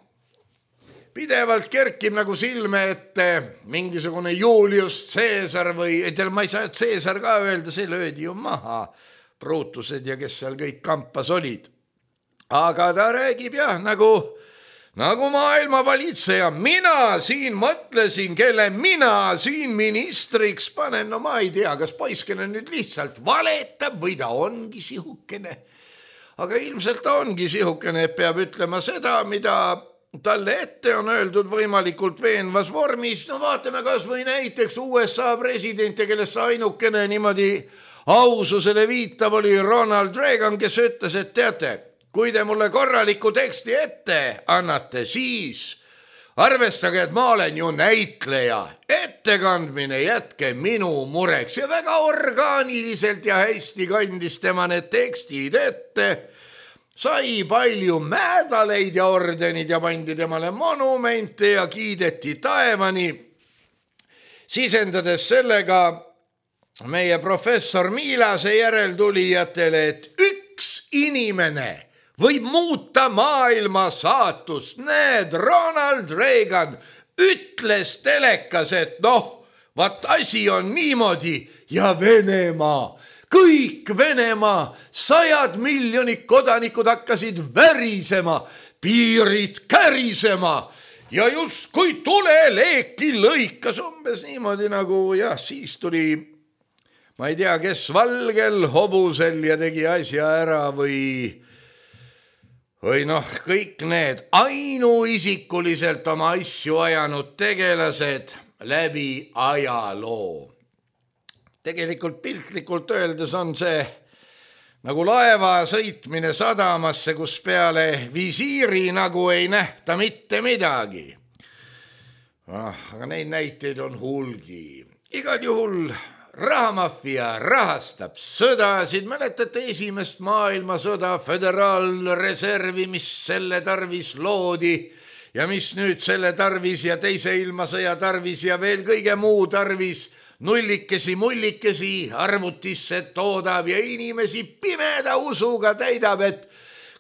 Pidevalt kerkib nagu silme ette mingisugune Julius Caesar või, etel ma ei saa Caesar ka öelda, see löödi ju maha, Brutused ja kes seal kõik kampas olid. Aga ta räägib jah, nagu, nagu maailma valitseja, mina siin mõtlesin, kelle mina siin ministriks panen, no ma ei tea, kas poiskene nüüd lihtsalt valetab või ta ongi sihukene. Aga ilmselt ta ongi sihukene, et peab ütlema seda, mida talle ette on öeldud võimalikult veenvas vormis. No vaatame kas või näiteks U S A presidente, kellest ainukene niimoodi aususele viitab oli Ronald Reagan, kes ütles, et teate, kui te mulle korraliku teksti ette annate, siis arvestage, et ma olen ju näitleja. Ettekandmine jätke minu mureks ja väga orgaaniliselt ja hästi kandis tema need tekstid ette. Sai palju mädaleid ja ordenid ja pandi temale monumente ja kiideti taevani, sisendades sellega meie professor Miilase järeltulijatele, et üks inimene võib muuta maailma saatust. Näed, Ronald Reagan ütles telekas, et noh, vaat asi on niimoodi ja Venemaa, kõik Venemaa, sajad miljonid kodanikud hakkasid värisema, piirid kärisema ja just kui tuleleeki lõikas umbes niimoodi nagu jah, siis tuli, ma ei tea, kes valgel hobusel ja tegi asja ära või, või noh, kõik need ainuisikuliselt oma asju ajanud tegelased läbi ajaloo. Tegelikult piltlikult öeldes on see nagu laeva sõitmine sadamasse, kus peale visiiri nagu ei nähta mitte midagi. Ah, aga neid näiteid on hulgi. Igal juhul rahamaffia rahastab sõdasid. Mäletate esimest maailmasõda, föderaalreservi, mis selle tarvis loodi ja mis nüüd selle tarvis ja teise ilmasõja tarvis ja veel kõige muu tarvis nullikesi, mullikesi arvutisse toodab ja inimesi pimeda usuga täidab, et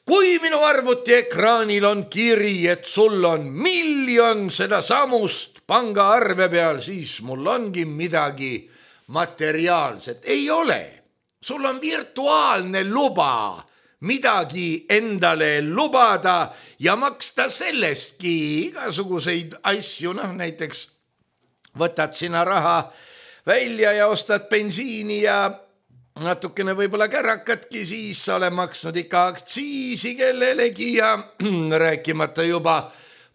kui minu arvuti ekraanil on kiri, et sul on miljon seda samust pangaarve peal, siis mul ongi midagi materiaalset. Ei ole. Sul on virtuaalne luba midagi endale lubada ja maksta sellestki igasuguseid asju, noh näiteks võtad sina raha välja ja ostad bensiini ja natukene võib-olla kärakatki, siis sa ole maksnud ikka aktsiisi kellelegi ja rääkimata juba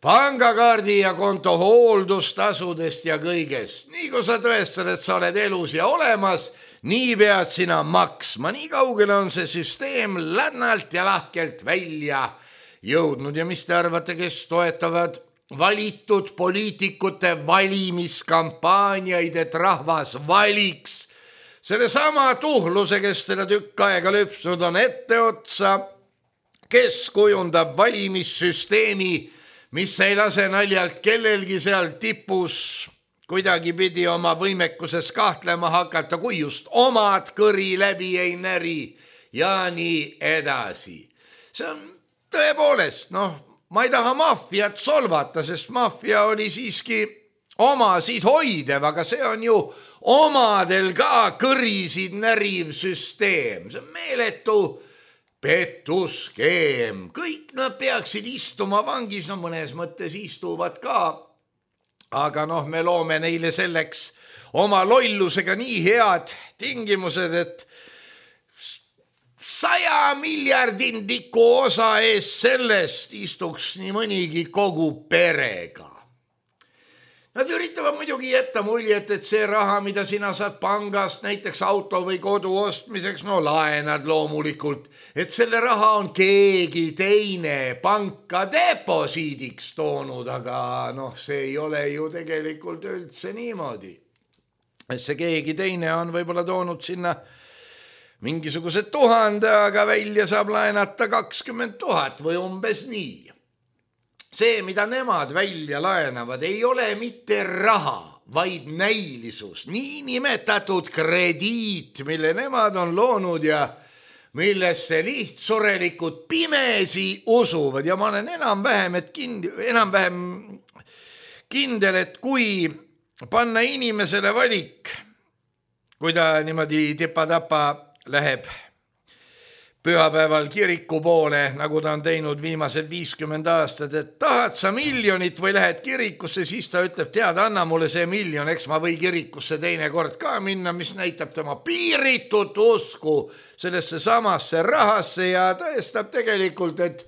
pangakaardi ja konto hooldustasudest ja kõigest. Nii kui sa tõestad, et sa oled elus ja olemas, nii pead sina maksma. Nii kaugele on see süsteem lännalt ja lahkelt välja jõudnud. Ja mis te arvate, kes toetavad valitud poliitikute valimiskampaaniaid, et rahvas valiks selle sama tuhluse, kes teda tükk aega lüpsnud on etteotsa, kes kujundab valimissüsteemi, mis ei lase naljalt kellelgi seal tipus kuidagi pidi oma võimekuses kahtlema hakata, kui just omad kõri läbi ei näri ja nii edasi. See on tõepoolest, noh, ma ei taha maffiat solvata, sest maffia oli siiski omasid hoidev, aga see on ju omadel ka kõrisid näriv süsteem. See on meeletu pettuskeem. Kõik nad peaksid istuma vangis, no mõnes mõttes istuvad ka, aga noh, me loome neile selleks oma lollusega nii head tingimused, et saja miljardindiku osa ees sellest istuks nii mõnigi kogu perega. Nad üritavad muidugi jätta muljet, et see raha, mida sina saad pangast, näiteks auto või kodu ostmiseks, no laenad loomulikult, et selle raha on keegi teine panka deposiidiks toonud, aga noh, see ei ole ju tegelikult üldse niimoodi. Et see keegi teine on võib-olla toonud sinna mingisugused tuhande, aga välja saab laenata kakskümmend tuhat või umbes nii. See, mida nemad välja laenavad, ei ole mitte raha, vaid näilisus, nii nimetatud krediit, mille nemad on loonud ja millesse lihtsurelikult pimesi usuvad. Ja ma olen enam-vähem, et kind, enam-vähem kindel, et kui panna inimesele valik, kui ta niimoodi tipa-tapa läheb pühapäeval kiriku poole, nagu ta on teinud viimased viiskümmend aastat, et tahad sa miljonit või lähed kirikusse, siis ta ütleb, tead, anna mulle see miljon, eks ma või kirikusse teine kord ka minna, mis näitab tema piiritut usku sellesse samasse rahasse ja tõestab tegelikult, et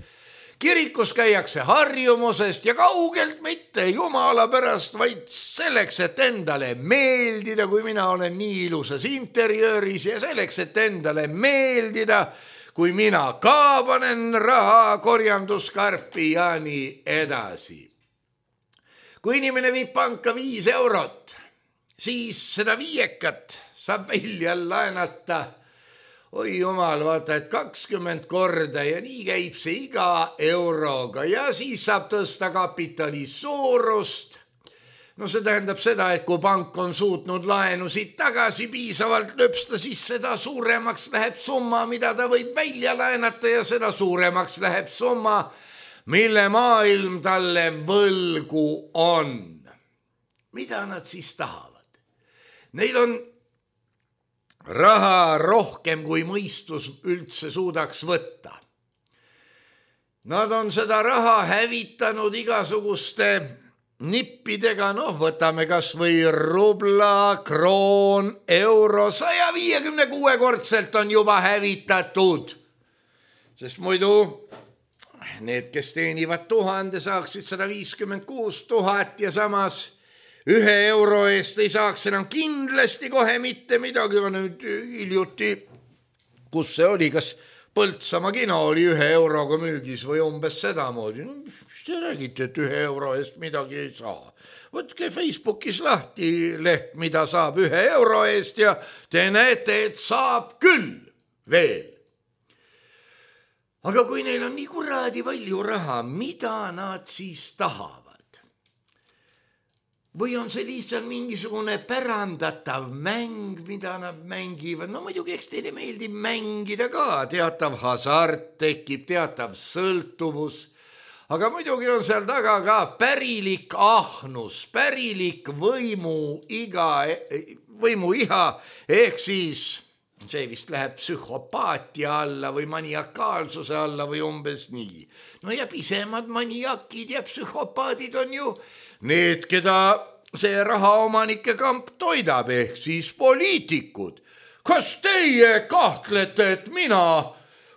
kirikus käiakse harjumusest ja kaugelt mitte jumala pärast, vaid selleks, et endale meeldida, kui mina olen nii ilusas interjööris ja selleks, et endale meeldida, kui mina ka panen raha korjanduskarpi ja nii edasi. Kui inimene viib panka viis eurot, siis seda viiekat saab välja laenata. Oi jumal, vaata, et kakskümmend korda ja nii käib see iga euroga ja siis saab tõsta kapitali suurust. No see tähendab seda, et kui pank on suutnud laenusid tagasi piisavalt löpsta, siis seda suuremaks läheb summa, mida ta võib välja laenata ja seda suuremaks läheb summa, mille maailm talle võlgu on. Mida nad siis tahavad? Neil on raha rohkem, kui mõistus üldse suudaks võtta. Nad on seda raha hävitanud igasuguste nippidega, noh, võtame kas või rubla, kroon, euro, saja viiekümne kuue kordselt on juba hävitatud. Sest muidu need, kes teenivad tuhande, saaksid sada viiskümmend kuus tuhat ja samas ühe euro eest ei saaks enam kindlasti kohe mitte midagi. Nüüd hiljuti, kus see oli, kas Põltsamaa kino oli ühe euroga müügis või umbes sedamoodi. No, mis te räägite, et ühe euro eest midagi ei saa? Võtke Facebookis lahti leht, mida saab ühe euro eest ja te näete, et saab küll veel. Aga kui neil on nii kuradi palju raha, mida nad siis tahavad? Või on see lihtsalt mingisugune pärandatav mäng, mida nad mängivad? No muidugi, eks teile meeldib mängida ka, teatav hasart tekib, teatav sõltuvus, aga muidugi on seal taga ka pärilik ahnus, pärilik võimu iga, võimu iha, ehk siis see vist läheb psühhopaatia alla või maniakaalsuse alla või umbes nii. No ja pisemad maniakid ja psühhopaadid on ju need, keda see rahaomanike kamp toidab, ehk siis poliitikud. Kas teie kahtlete, et mina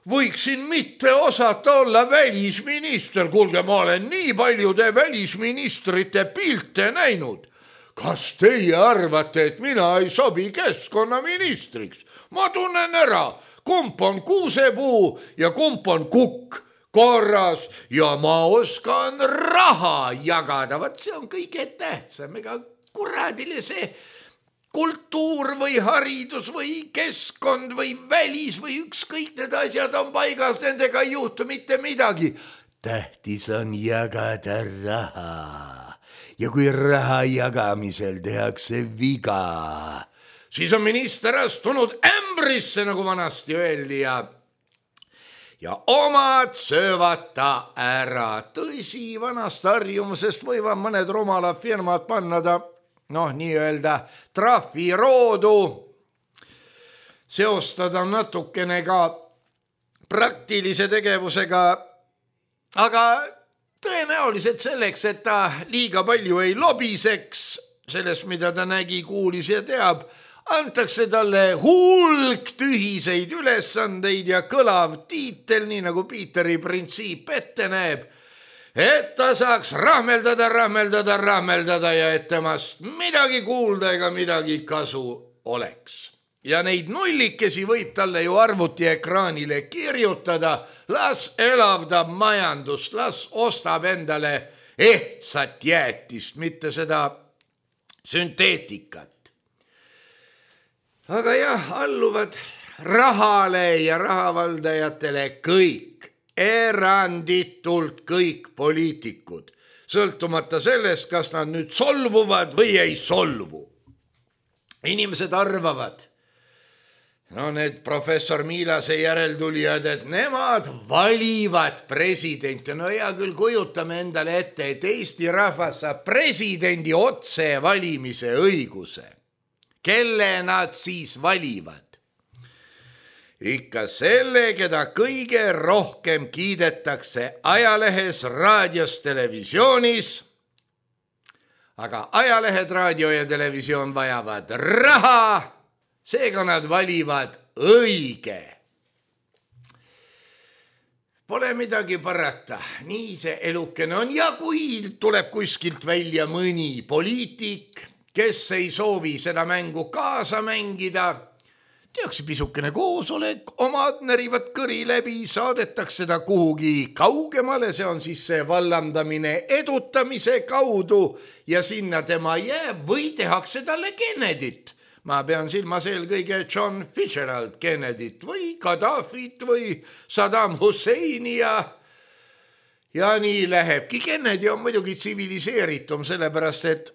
võiksin mitte osata olla välisminister? Kuulge, ma olen nii paljude välisministrite pilte näinud. Kas teie arvate, et mina ei sobi keskkonnaministriks? Ma tunnen ära, kump on kuusepuu ja kump on kukk korras ja ma oskan raha jagada. Vaat see on kõige tähtsam, ega kuradile see kultuur või haridus või keskkond või välis või ükskõik need asjad on paigas, nendega ei juhtu mitte midagi. Tähtis on jagada raha ja kui raha jagamisel tehakse viga, siis on minister astunud ämbrisse, nagu vanasti öeldi, ja ja omad söövad ta ära. Tõsi, vanast harjumusest võivad mõned rumalad firmad panna ta, noh, nii-öelda trahviroodu, seostada natukene ka praktilise tegevusega, aga tõenäoliselt selleks, et ta liiga palju ei lobiseks sellest, mida ta nägi, kuulis ja teab, antakse talle hulk tühiseid ülesandeid ja kõlav tiitel, nii nagu Piiteri printsiip ette näeb, et ta saaks rahmeldada, rahmeldada, rahmeldada ja et temast midagi kuulda ega midagi kasu oleks. Ja neid nullikesi võib talle ju arvutiekraanile kirjutada, las elavdab majandust, las ostab endale ehtsat jäätist, mitte seda sünteetikat. Aga jah, alluvad rahale ja rahavaldajatele kõik, eranditult kõik poliitikud, sõltumata sellest, kas nad nüüd solvuvad või ei solvu. Inimesed arvavad, no need professor Miilase järeltulijad, et nemad valivad presidenti. No hea küll, kujutame endale ette, et Eesti rahvas saab presidendi otse valimise õiguse. Kelle nad siis valivad? Ikka selle, keda kõige rohkem kiidetakse ajalehes, raadios, televisioonis. Aga ajalehed, raadio ja televisioon vajavad raha, seega nad valivad õige. Pole midagi parata, nii see elukene on ja kui tuleb kuskilt välja mõni poliitik, kes ei soovi seda mängu kaasa mängida, tehakse pisukene koosolek, omad närivad kõri läbi, saadetakse ta kuhugi kaugemale, see on siis see vallandamine edutamise kaudu ja sinna tema jääb või tehakse talle Kennedyt. Ma pean silmas eelkõige John Fitzgerald Kennedyt või Gaddafit või Saddam Husseini ja ja nii lähebki. Kennedy on muidugi tsiviliseeritum, sellepärast et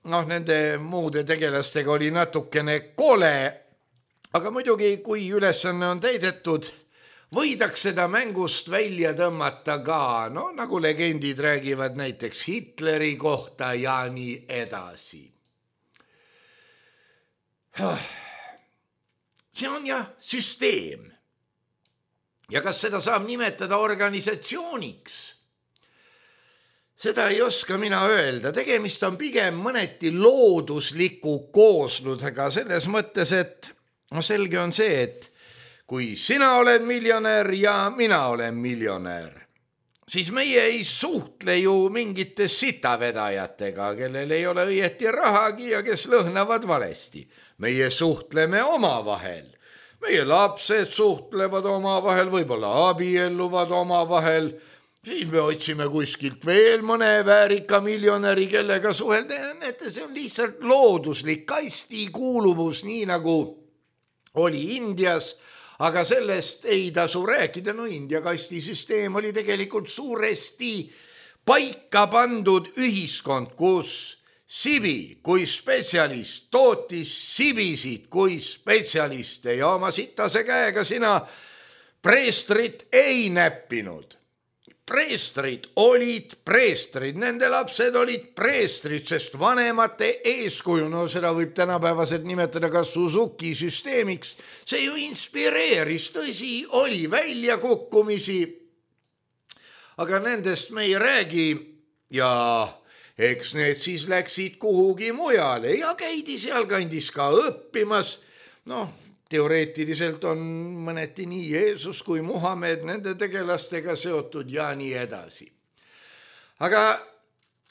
noh, nende muude tegelastega oli natukene kole, aga muidugi, kui ülesanne on täidetud, võidaks seda mängust välja tõmmata ka, no nagu legendid räägivad näiteks Hitleri kohta ja nii edasi. See on jah süsteem. Ja kas seda saab nimetada organisatsiooniks? Seda ei oska mina öelda. Tegemist on pigem mõneti loodusliku kooslusega selles mõttes, et no selge on see, et kui sina oled miljonär ja mina olen miljonär, siis meie ei suhtle ju mingite sitavedajatega, kellel ei ole õieti rahagi ja kes lõhnavad valesti. Meie suhtleme omavahel. Meie lapsed suhtlevad omavahel, võib-olla abielluvad omavahel. Siis me otsime kuskilt veel mõne väärika miljonäri, kellega suhelda. Näete, see on lihtsalt looduslik kasti kuuluvus, nii nagu oli Indias, aga sellest ei tasu rääkida. No India kastisüsteem oli tegelikult suuresti paika pandud ühiskond, kus Sibi kui spetsialist tootis sibisid kui spetsialiste ja oma sitase käega sina preestrit ei näppinud. Preestrid olid preestrid, nende lapsed olid preestrid, sest vanemate eeskuju, no seda võib tänapäevaselt nimetada ka Suzuki süsteemiks, see ju inspireeris, tõsi, oli väljakukkumisi, aga nendest me ei räägi ja eks need siis läksid kuhugi mujale ja käidi sealkandis ka õppimas. Noh, teoreetiliselt on mõneti nii Jeesus kui Muhamed nende tegelastega seotud ja nii edasi. Aga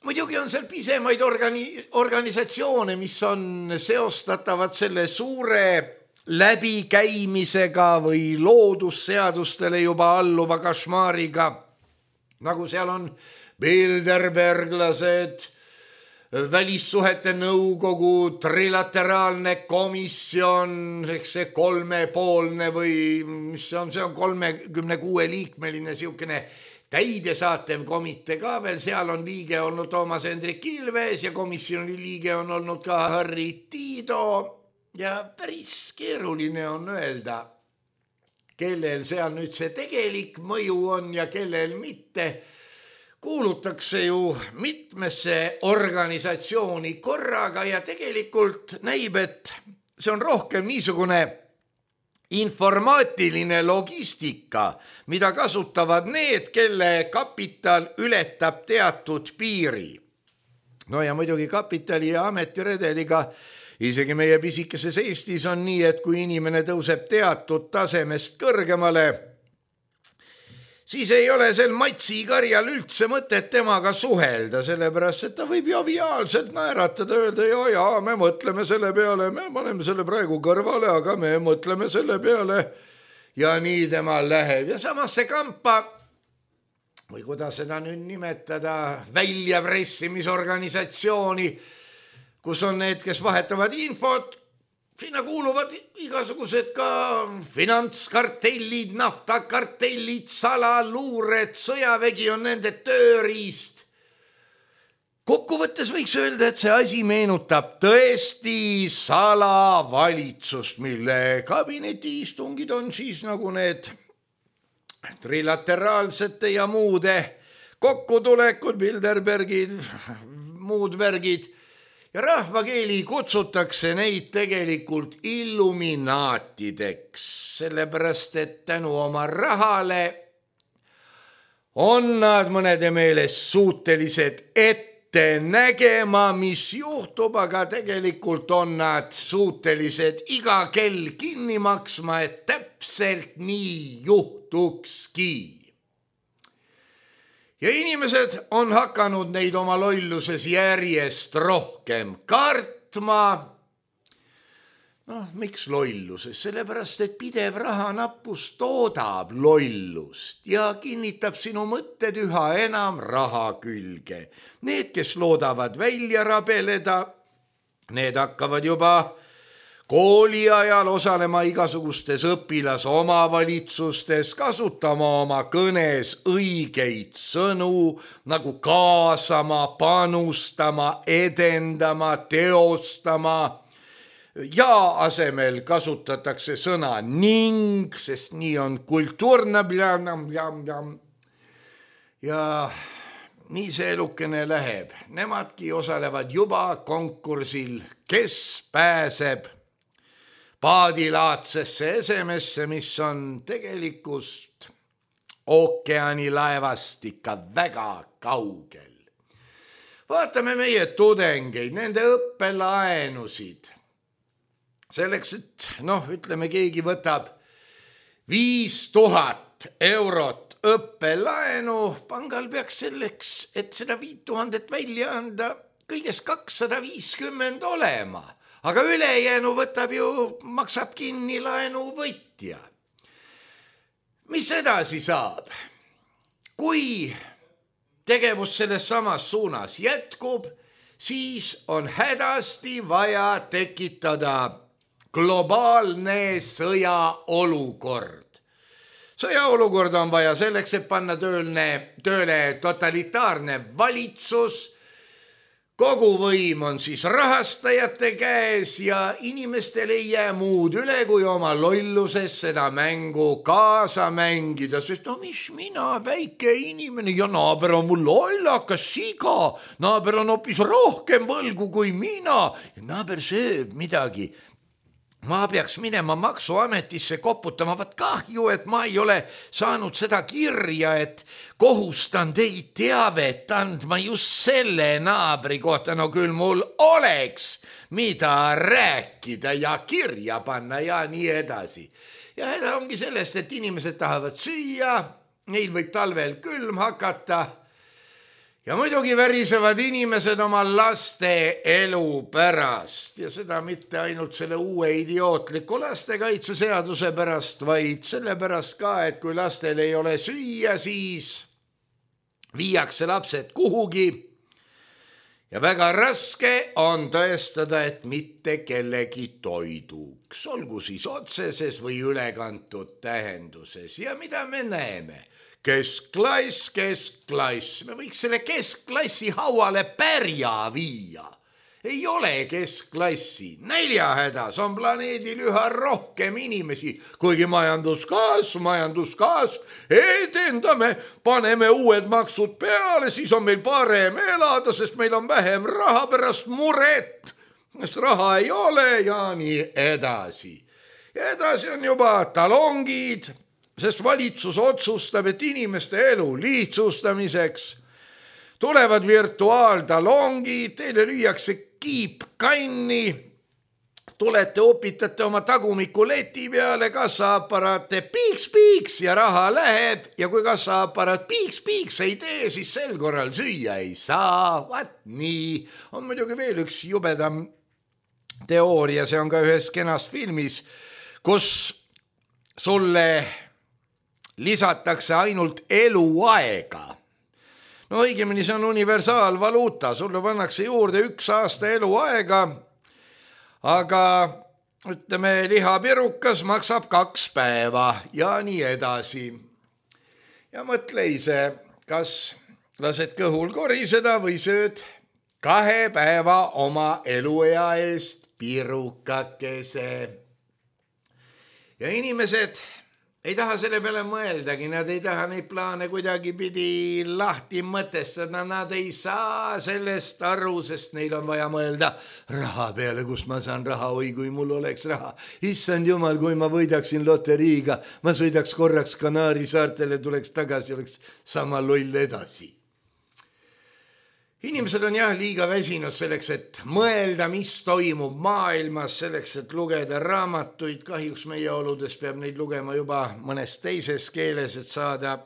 muidugi on seal pisemaid organi- organisatsioone, mis on seostatavad selle suure läbikäimisega või loodusseadustele juba alluva kašmaariga, nagu seal on Bilderberglased, välissuhete nõukogu, trilateraalne komisjon, eks see kolmepoolne või mis on, see on kolmekümne kuue liikmeline siukene täidesaatev komitee ka veel, seal on liige olnud Toomas Hendrik Ilves ja komisjoni liige on olnud ka Harri Tiido ja päris keeruline on öelda, kellel seal nüüd see tegelik mõju on ja kellel mitte. Kuulutakse ju mitmesse organisatsiooni korraga ja tegelikult näib, et see on rohkem niisugune informaatiline logistika, mida kasutavad need, kelle kapital ületab teatud piiri. No ja muidugi kapitali ja ametiredeliga isegi meie pisikeses Eestis on nii, et kui inimene tõuseb teatud tasemest kõrgemale, siis ei ole sel Matsi karjal üldse mõtet temaga suhelda, sellepärast, et ta võib joviaalselt naeratada, öelda, ja, ja, me mõtleme selle peale, me paneme selle praegu kõrvale, aga me mõtleme selle peale ja nii temal läheb. Ja samas see kampa, või kuidas seda nüüd nimetada, väljapressimisorganisatsiooni, kus on need, kes vahetavad infot, sinna kuuluvad igasugused ka finantskartellid, naftakartellid, salaluured, sõjavägi on nende tööriist. Kokkuvõttes võiks öelda, et see asi meenutab tõesti salavalitsust, mille kabinetiistungid on siis nagu need trilateraalsete ja muude kokkutulekud, Bilderbergid, muud värgid. Ja rahvakeeli kutsutakse neid tegelikult illuminaatideks, sellepärast, et tänu oma rahale on nad mõnede meelest suutelised ette nägema, mis juhtub, aga tegelikult on nad suutelised iga kell kinni maksma, et täpselt nii juhtukski. Ja inimesed on hakanud neid oma lolluses järjest rohkem kartma. Noh, miks lolluses? Sellepärast, et pidev rahanappus toodab lollust ja kinnitab sinu mõtted üha enam raha külge. Need, kes loodavad välja rabeleda, need hakkavad juba kooli ajal osalema igasugustes õpilasomavalitsustes, kasutama oma kõnes õigeid sõnu, nagu kaasama, panustama, edendama, teostama. Ja asemel kasutatakse sõna ning, sest nii on kultuurne. Ja nii see elukene läheb. Nemadki osalevad juba konkursil, kes pääseb paadilaadsesse esemesse, mis on tegelikust ookeani laevast ikka väga kaugel. Vaatame meie tudengeid, nende õppelaenusid. Selleks, et noh, ütleme, keegi võtab viis tuhat eurot õppelaenu, pangal peaks selleks, et seda viit tuhandet välja anda, kõigest kakssada viiskümmend olema. Aga ülejäänu võtab ju, maksab kinni laenu võitja. Mis edasi saab? Kui tegevus selles samas suunas jätkub, siis on hädasti vaja tekitada globaalne sõjaolukord. Sõjaolukord on vaja selleks, et panna tööle, tööle totalitaarne valitsus. Kogu võim on siis rahastajate käes ja inimestel ei jää muud üle, kui oma lolluses seda mängu kaasa mängida, sest no mis mina, väike inimene ja naaber on mul lollakas siga, naaber on hoopis rohkem võlgu kui mina ja naaber sööb midagi. Ma peaks minema maksuametisse koputama, vaat kahju, et ma ei ole saanud seda kirja, et kohustan teid teavet andma just selle naabri kohta. No küll mul oleks, mida rääkida ja kirja panna ja nii edasi. Ja häda ongi sellest, et inimesed tahavad süüa, neil võib talvel külm hakata. Ja muidugi värisevad inimesed oma laste elu pärast ja seda mitte ainult selle uue idiootliku lastekaitseseaduse pärast, vaid selle pärast ka, et kui lastel ei ole süüa, siis viiakse lapsed kuhugi ja väga raske on tõestada, et mitte kellegi toiduks, olgu siis otseses või ülekantud tähenduses. Ja mida me näeme? Keskklass, keskklass. Me võiks selle keskklassi hauale pärja viia. Ei ole keskklassi. Näljahädas on planeedil üha rohkem inimesi, kuigi majanduskasv, majanduskasv, edendame, paneme uued maksud peale, siis on meil parem elada, sest meil on vähem raha pärast muret, sest raha ei ole ja nii edasi. Ja edasi on juba talongid, sest valitsus otsustab, et inimeste elu lihtsustamiseks tulevad virtuaaltalongid, teile lüüakse kiip kanni, tulete, opitate oma tagumiku leti peale, kassaaparaate piiks-piiks ja raha läheb ja kui kassaaparaat piiks-piiks ei tee, siis sel korral süüa ei saa. Vaat nii. On muidugi veel üks jubedam teooria, see on ka ühes kenas filmis, kus sulle lisatakse ainult eluaega. No õigemini see on universaalvaluuta, sulle pannakse juurde üks aasta eluaega, aga ütleme, lihapirukas maksab kaks päeva ja nii edasi. Ja mõtle ise, kas lased kõhul koriseda või sööd kahe päeva oma eluea eest pirukakese. Ja inimesed ei taha selle peale mõeldagi, nad ei taha neid plaane kuidagi pidi lahti mõtestada, nad ei saa sellest aru, sest neil on vaja mõelda raha peale, kus ma saan raha, oi kui mul oleks raha. Issand jumal, kui ma võidaksin loteriiga, ma sõidaks korraks Kanaari saartele, tuleks tagasi, oleks sama loll edasi. Inimesed on jah liiga väsinud selleks, et mõelda, mis toimub maailmas, selleks, et lugeda raamatuid. Kahjuks meie oludes peab neid lugema juba mõnes teises keeles, et saada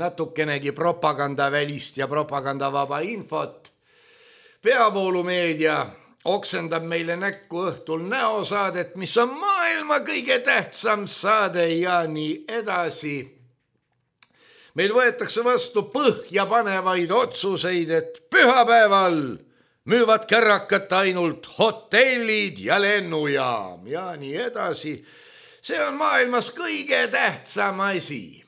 natukenegi propagandavälist ja propagandavaba infot. Peavoolumeedia oksendab meile näkku õhtul näosaadet, mis on maailma kõige tähtsam saade ja nii edasi. Meil võetakse vastu põhja panevaid otsuseid, et pühapäeval müüvad kärrakat ainult hotellid ja lennujaam ja nii edasi. See on maailmas kõige tähtsam asi.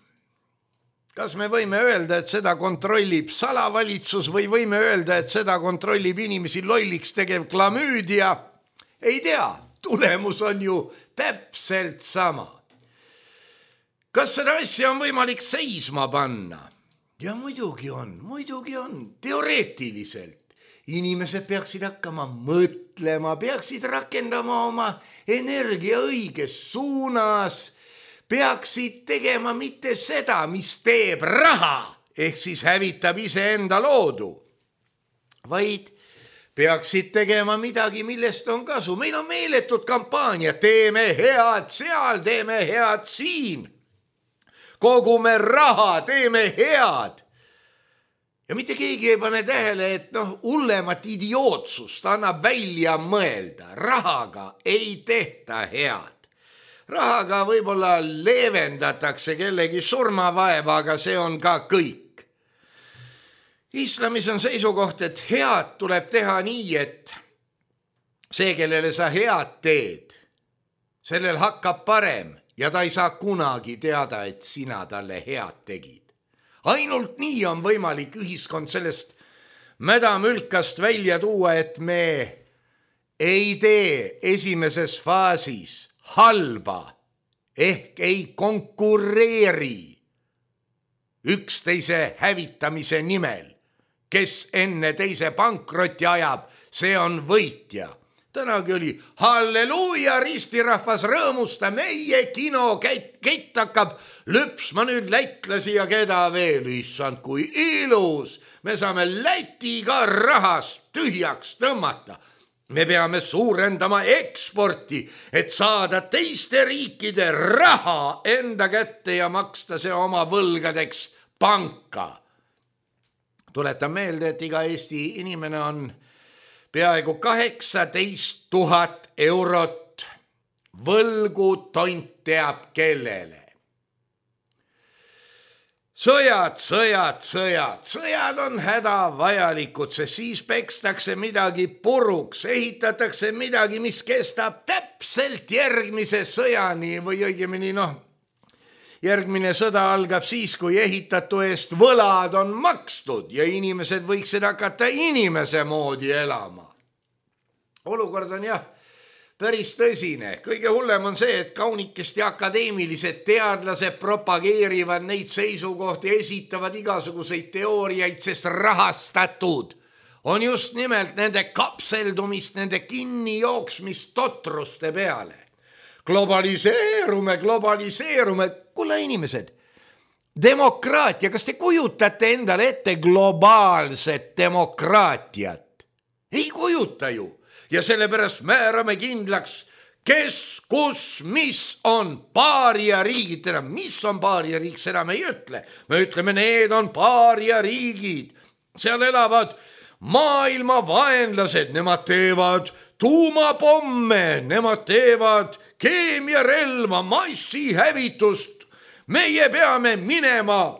Kas me võime öelda, et seda kontrollib salavalitsus või võime öelda, et seda kontrollib inimesi lolliks tegev klamüüdia? Ei tea, tulemus on ju täpselt sama. Kas seda asja on võimalik seisma panna? Ja muidugi on, muidugi on, teoreetiliselt. Inimesed peaksid hakkama mõtlema, peaksid rakendama oma energia õiges suunas, peaksid tegema mitte seda, mis teeb raha, ehk siis hävitab iseenda loodu, vaid peaksid tegema midagi, millest on kasu. Meil on meeletud kampaania, teeme head seal, teeme head siin. Kogume raha, teeme head. Ja mitte keegi ei pane tähele, et noh, hullemat idiootsust annab välja mõelda. Rahaga ei tehta head. Rahaga võib-olla leevendatakse kellegi surmavaeva, aga see on ka kõik. Islamis on seisukoht, et head tuleb teha nii, et see, kellele sa head teed, sellel hakkab parem. Ja ta ei saa kunagi teada, et sina talle head tegid. Ainult nii on võimalik ühiskond sellest mädamülkast välja tuua, et me ei tee esimeses faasis halba ehk ei konkureeri üksteise hävitamise nimel. Kes enne teise pankrotti ajab, see on võitja. Tänagi oli halleluuja, ristirahvas rõõmusta, meie kino kett hakkab lüpsma nüüd lätlasi ja keda veel, issand, kui ilus. Me saame Lätiga rahast tühjaks tõmmata. Me peame suurendama eksporti, et saada teiste riikide raha enda kätte ja maksta see oma võlgadeks panka. Tuletan meelde, et iga Eesti inimene on peaaegu kaheksateist tuhat eurot võlgu tont teab kellele. Sõjad, sõjad, sõjad, sõjad on hädavajalikud, sest siis pekstakse midagi puruks, ehitatakse midagi, mis kestab täpselt järgmise sõjani või õigemini noh, järgmine sõda algab siis, kui ehitatu eest võlad on makstud ja inimesed võiksid hakata inimese moodi elama. Olukord on jah päris tõsine. Kõige hullem on see, et kaunikesti akadeemilised teadlased propageerivad neid seisukohti, esitavad igasuguseid teooriaid, sest rahastatud on just nimelt nende kapseldumist, nende kinnijooksmist totruste peale. Globaliseerume, globaliseerume. Kuule inimesed, demokraatia, kas te kujutate endale ette globaalset demokraatiat? Ei kujuta ju. Ja sellepärast määrame kindlaks, kes, kus, mis on paaria riigid. Teda, mis on paaria riik, seda me ei ütle. Me ütleme, need on paaria riigid. Seal elavad maailma vaenlased, nemad teevad tuumapomme, nemad teevad keemiarelva, massihävitust. Meie peame minema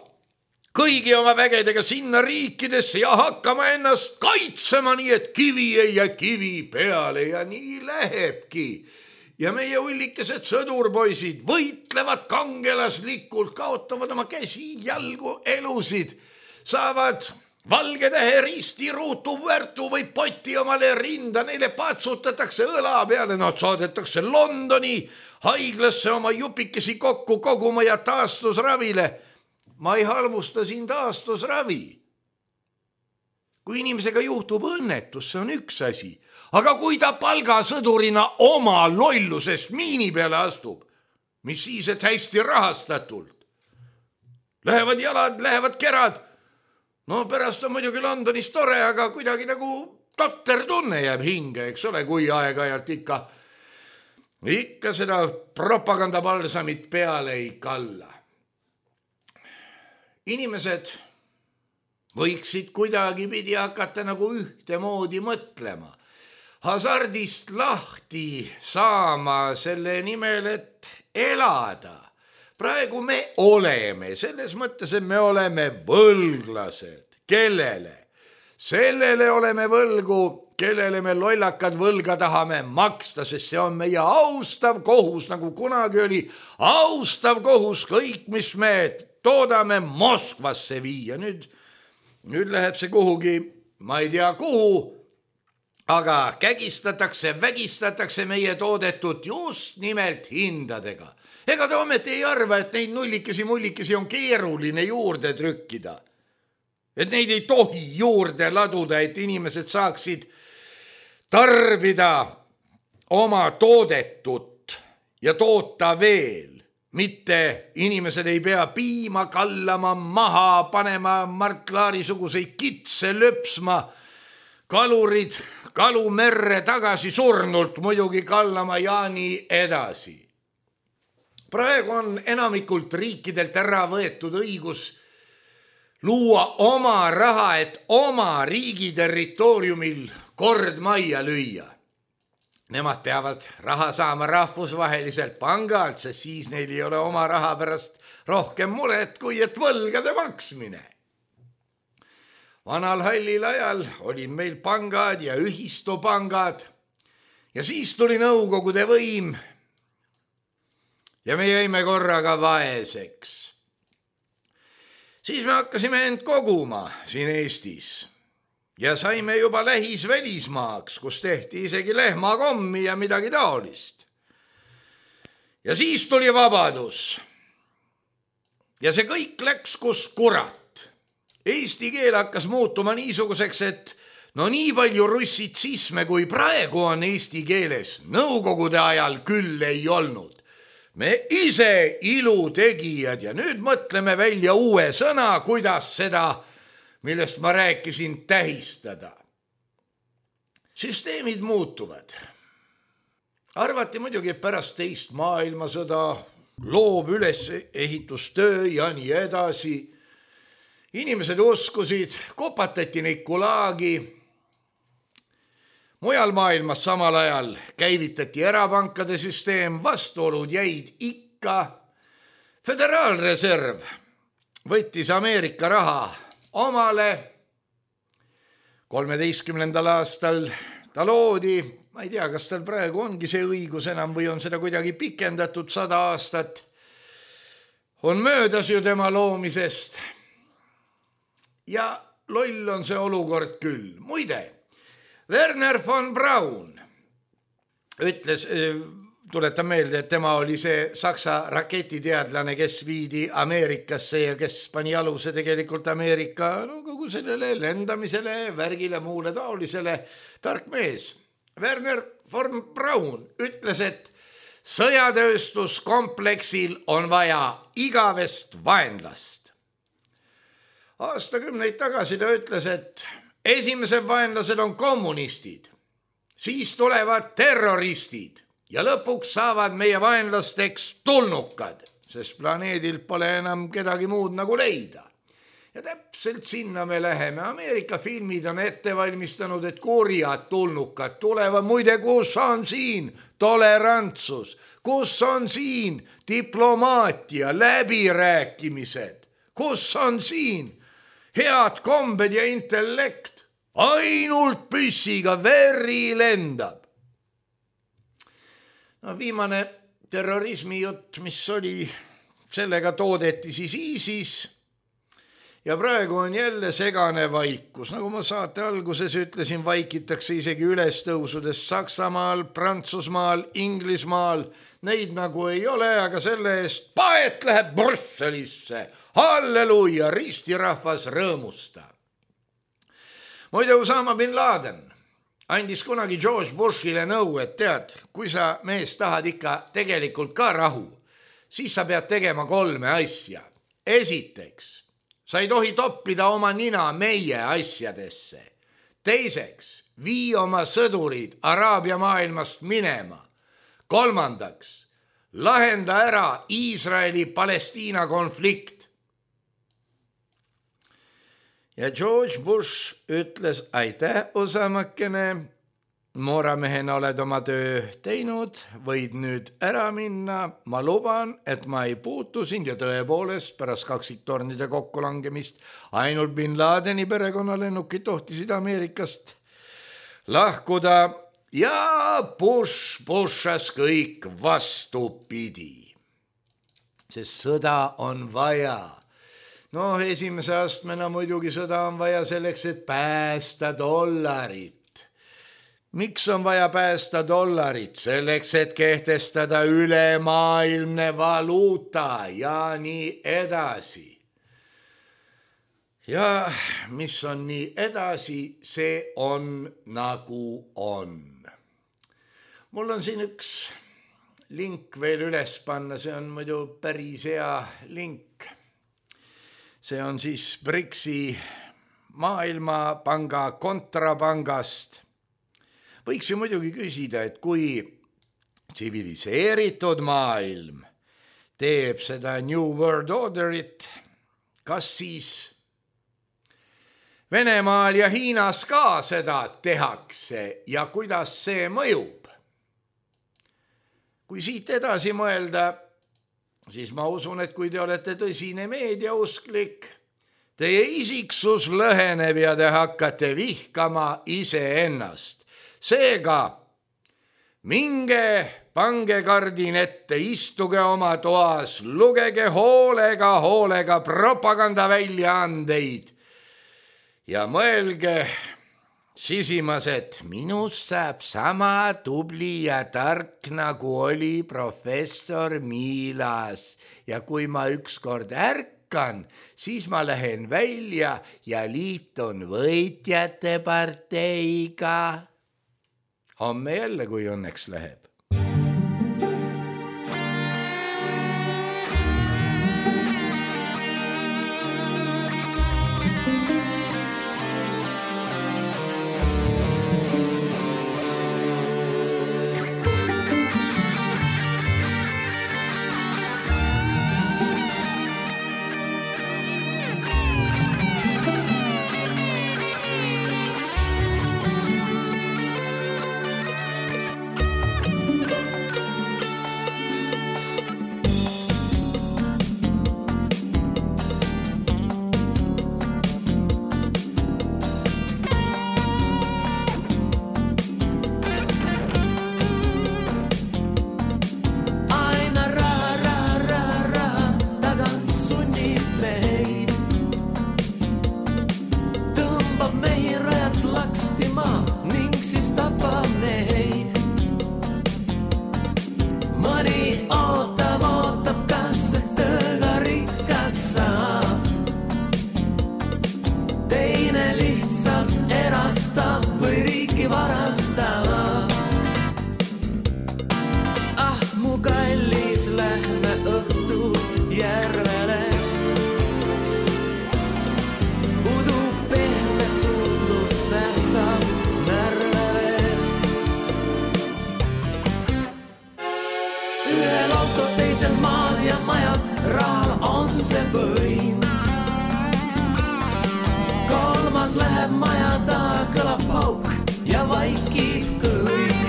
kõigi oma vägedega sinna riikidesse ja hakkama ennast kaitsema, nii et kivi ei jää kivi peale ja nii lähebki. Ja meie ullikesed sõdurpoisid võitlevad kangelaslikult, kaotavad oma käsi, jalgu, elusid, saavad valge tähe risti, ruutu, värtu või poti omale rinda, neile patsutatakse õla peale, nad saadetakse Londoni haiglasse oma jupikesi kokku koguma ja taastusravile. Ma ei halvusta siin taastusravi. Kui inimesega juhtub õnnetus, see on üks asi. Aga kui ta palgasõdurina oma lollusest miini peale astub, mis siis, et hästi rahastatult? Lähevad jalad, lähevad kerad. No pärast on muidugi Londonis tore, aga kuidagi nagu totter tunne jääb hinge, eks ole, kui aeg-ajalt ikka, ikka seda propagandapalsamit peale ei kalla. Inimesed võiksid kuidagi pidi hakata nagu ühtemoodi mõtlema. Hasardist lahti saama selle nimel, et elada. Praegu me oleme, selles mõttes, et me oleme võlglased. Kellele? Sellele oleme võlgu, kellele me lollakad võlga tahame maksta, sest see on meie austav kohus, nagu kunagi oli austav kohus kõik, mis me toodame Moskvasse viia. Nüüd, nüüd läheb see kuhugi, ma ei tea kuhu, aga kägistatakse, vägistatakse meie toodetud just nimelt hindadega. Ega te ometi ei arva, et neid nullikesi mullikesi on keeruline juurde trükkida. Et neid ei tohi juurde laduda, et inimesed saaksid tarbida oma toodetut ja toota veel. Mitte inimesed ei pea piima kallama, maha panema, Mart Laari-suguseid kitse löpsma, kalurid kalumerre tagasi surnult muidugi kallama ja nii edasi. Praegu on enamikult riikidelt ära võetud õigus luua oma raha, et oma riigi territooriumil kord majja lüüa. Nemad peavad raha saama rahvusvaheliselt pangalt, sest siis neil ei ole oma raha pärast rohkem muret, kui et võlgade maksmine. Vanal hallil ajal oli meil pangad ja ühistupangad ja siis tuli nõukogude võim ja me jäime korraga vaeseks. Siis me hakkasime end koguma siin Eestis ja saime juba lähis välismaaks, kus tehti isegi lehmakommi ja midagi taolist. Ja siis tuli vabadus. Ja see kõik läks kus kurat. Eesti keel hakkas muutuma niisuguseks, et no nii palju russitsisme, kui praegu on eesti keeles, nõukogude ajal küll ei olnud. Me ise ilutegijad ja nüüd mõtleme välja uue sõna, kuidas seda, millest ma rääkisin, tähistada. Süsteemid muutuvad. Arvati muidugi, et pärast teist maailmasõda, loov ülesehitustöö ja nii edasi. Inimesed uskusid, kopatati neid kulaagi. Mujal maailmas samal ajal käivitati erapankade süsteem, vastuolud jäid ikka. Föderaalreserv võttis Ameerika raha omale. kolmeteistkümnendal aastal ta loodi, ma ei tea, kas tal praegu ongi see õigus enam või on seda kuidagi pikendatud sada aastat. on möödas ju tema loomisest. Ja loll on see olukord küll. Muide, Werner von Braun ütles, tuletan meelde, et tema oli see Saksa raketiteadlane, kes viidi Ameerikasse ja kes pani aluse tegelikult Ameerika no, kogu sellele lendamisele, värgile, muule taolisele tark mees. Werner von Braun ütles, et sõjatööstuskompleksil on vaja igavest vaenlast. Aastakümneid tagasi ta ütles, et esimesed vaenlased on kommunistid, siis tulevad terroristid ja lõpuks saavad meie vaenlasteks tulnukad, sest planeedil pole enam kedagi muud nagu leida. Ja täpselt sinna me läheme. Ameerika filmid on ette valmistanud, et kurjad tulnukad tulevad. Muide, kus on siin tolerantsus? Kus on siin diplomaatia, läbirääkimised? Kus on siin head kombed ja intellekt? Ainult püssiga veri lendab. No viimane terrorismi jutt, mis oli, sellega toodeti siis ISIS ja praegu on jälle segane vaikus. Nagu ma saate alguses ütlesin, vaikitakse isegi ülestõusudes Saksamaal, Prantsusmaal, Inglismaal. Neid nagu ei ole, aga selle eest paet läheb Brüsselisse. Halleluja, ristirahvas rõõmusta. Muide, Osama bin Laden andis kunagi George Bushile nõu, et tead, kui sa mees tahad ikka tegelikult ka rahu, siis sa pead tegema kolme asja. Esiteks, sa ei tohi toppida oma nina meie asjadesse. Teiseks, vii oma sõdurid Araabia maailmast minema. Kolmandaks, lahenda ära Iisraeli-Palestiina konflikt. Ja George Bush ütles, aitäh, Osamakene, mooramehena oled oma töö teinud, võid nüüd ära minna. Ma luban, et ma ei puutu sind ja tõepoolest pärast kaksiktornide kokkulangemist ainult bin Ladeni perekonnalennukid tohtisid Ameerikast lahkuda ja Bush pushas kõik vastupidi. Sest sõda on vaja. No esimese astmena muidugi sõda on vaja selleks, et päästa dollarit. Miks on vaja päästa dollarit? Selleks, et kehtestada ülemaailmne valuuta ja nii edasi. Ja mis on nii edasi, see on nagu on. Mul on siin üks link veel üles panna, see on muidu päris hea link. See on siis Brixi maailmapanga kontrapangast. Võiks ju muidugi küsida, et kui tsiviliseeritud maailm teeb seda New World Orderit, kas siis Venemaal ja Hiinas ka seda tehakse ja kuidas see mõjub? Kui siit edasi mõelda, siis ma usun, et kui te olete tõsine meediausklik, teie isiksus lõheneb ja te hakkate vihkama iseennast. Seega, minge, pange kardin ette, istuge oma toas, lugege hoolega, hoolega propaganda väljaandeid ja mõelge sisimas, et minust saab sama tubli ja tark, nagu oli professor Miilas. Ja kui ma ükskord ärkan, siis ma lähen välja ja liitun võitjate parteiga. Homme jälle, kui õnneks läheb. mõni ootab, ootab, kas tõga rikkaks saab. Teine lihtsalt erastab või riiki varastab. Ah, mu kallis, lähme õhtul järvele. Udu pehme suudlus säästab närve veel. Ühel auto teisel maal ja majad, rahal on see võim. Kolmas läheb maja taha, kõlab pauk ja vaikib kõik.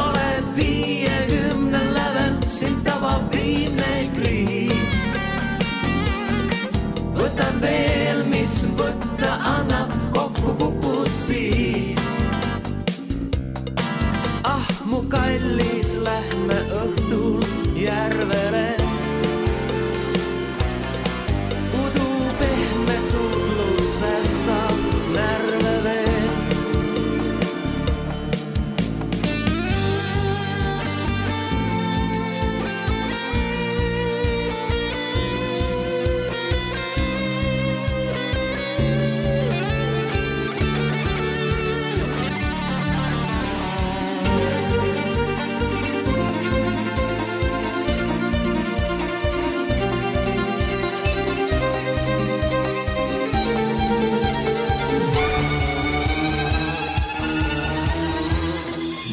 Oled viiekümne lävel, sind tabab viimne kriis. Võtad veel, mis võtta annab, kokku kukud siis. Ah, mu kallis, lähme õhtul järvele. Udu pehme suudlus säästab närve veel.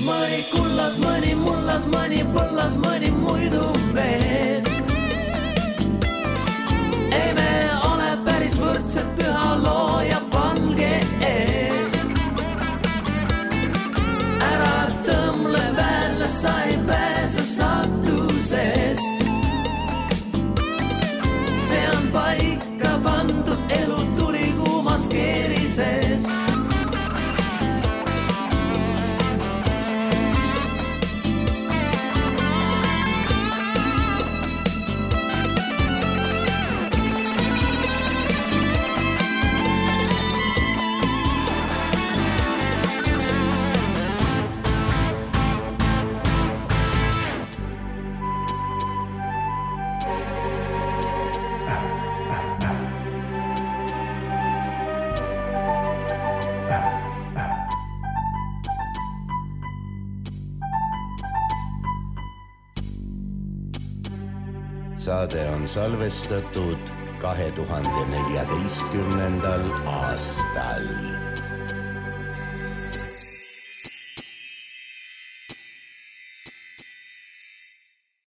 Mõni kullas, mõni mullas, mõni põllas, mõni muidu mees. Ei me ole päris võrdsed püha looja palge ees. Ära tõmle välja, sa ei pääse saatusest. See on paika pandud, elu tuli kuumas keerises. Saade on salvestatud kahe tuhande neljateistkümnendal aastal.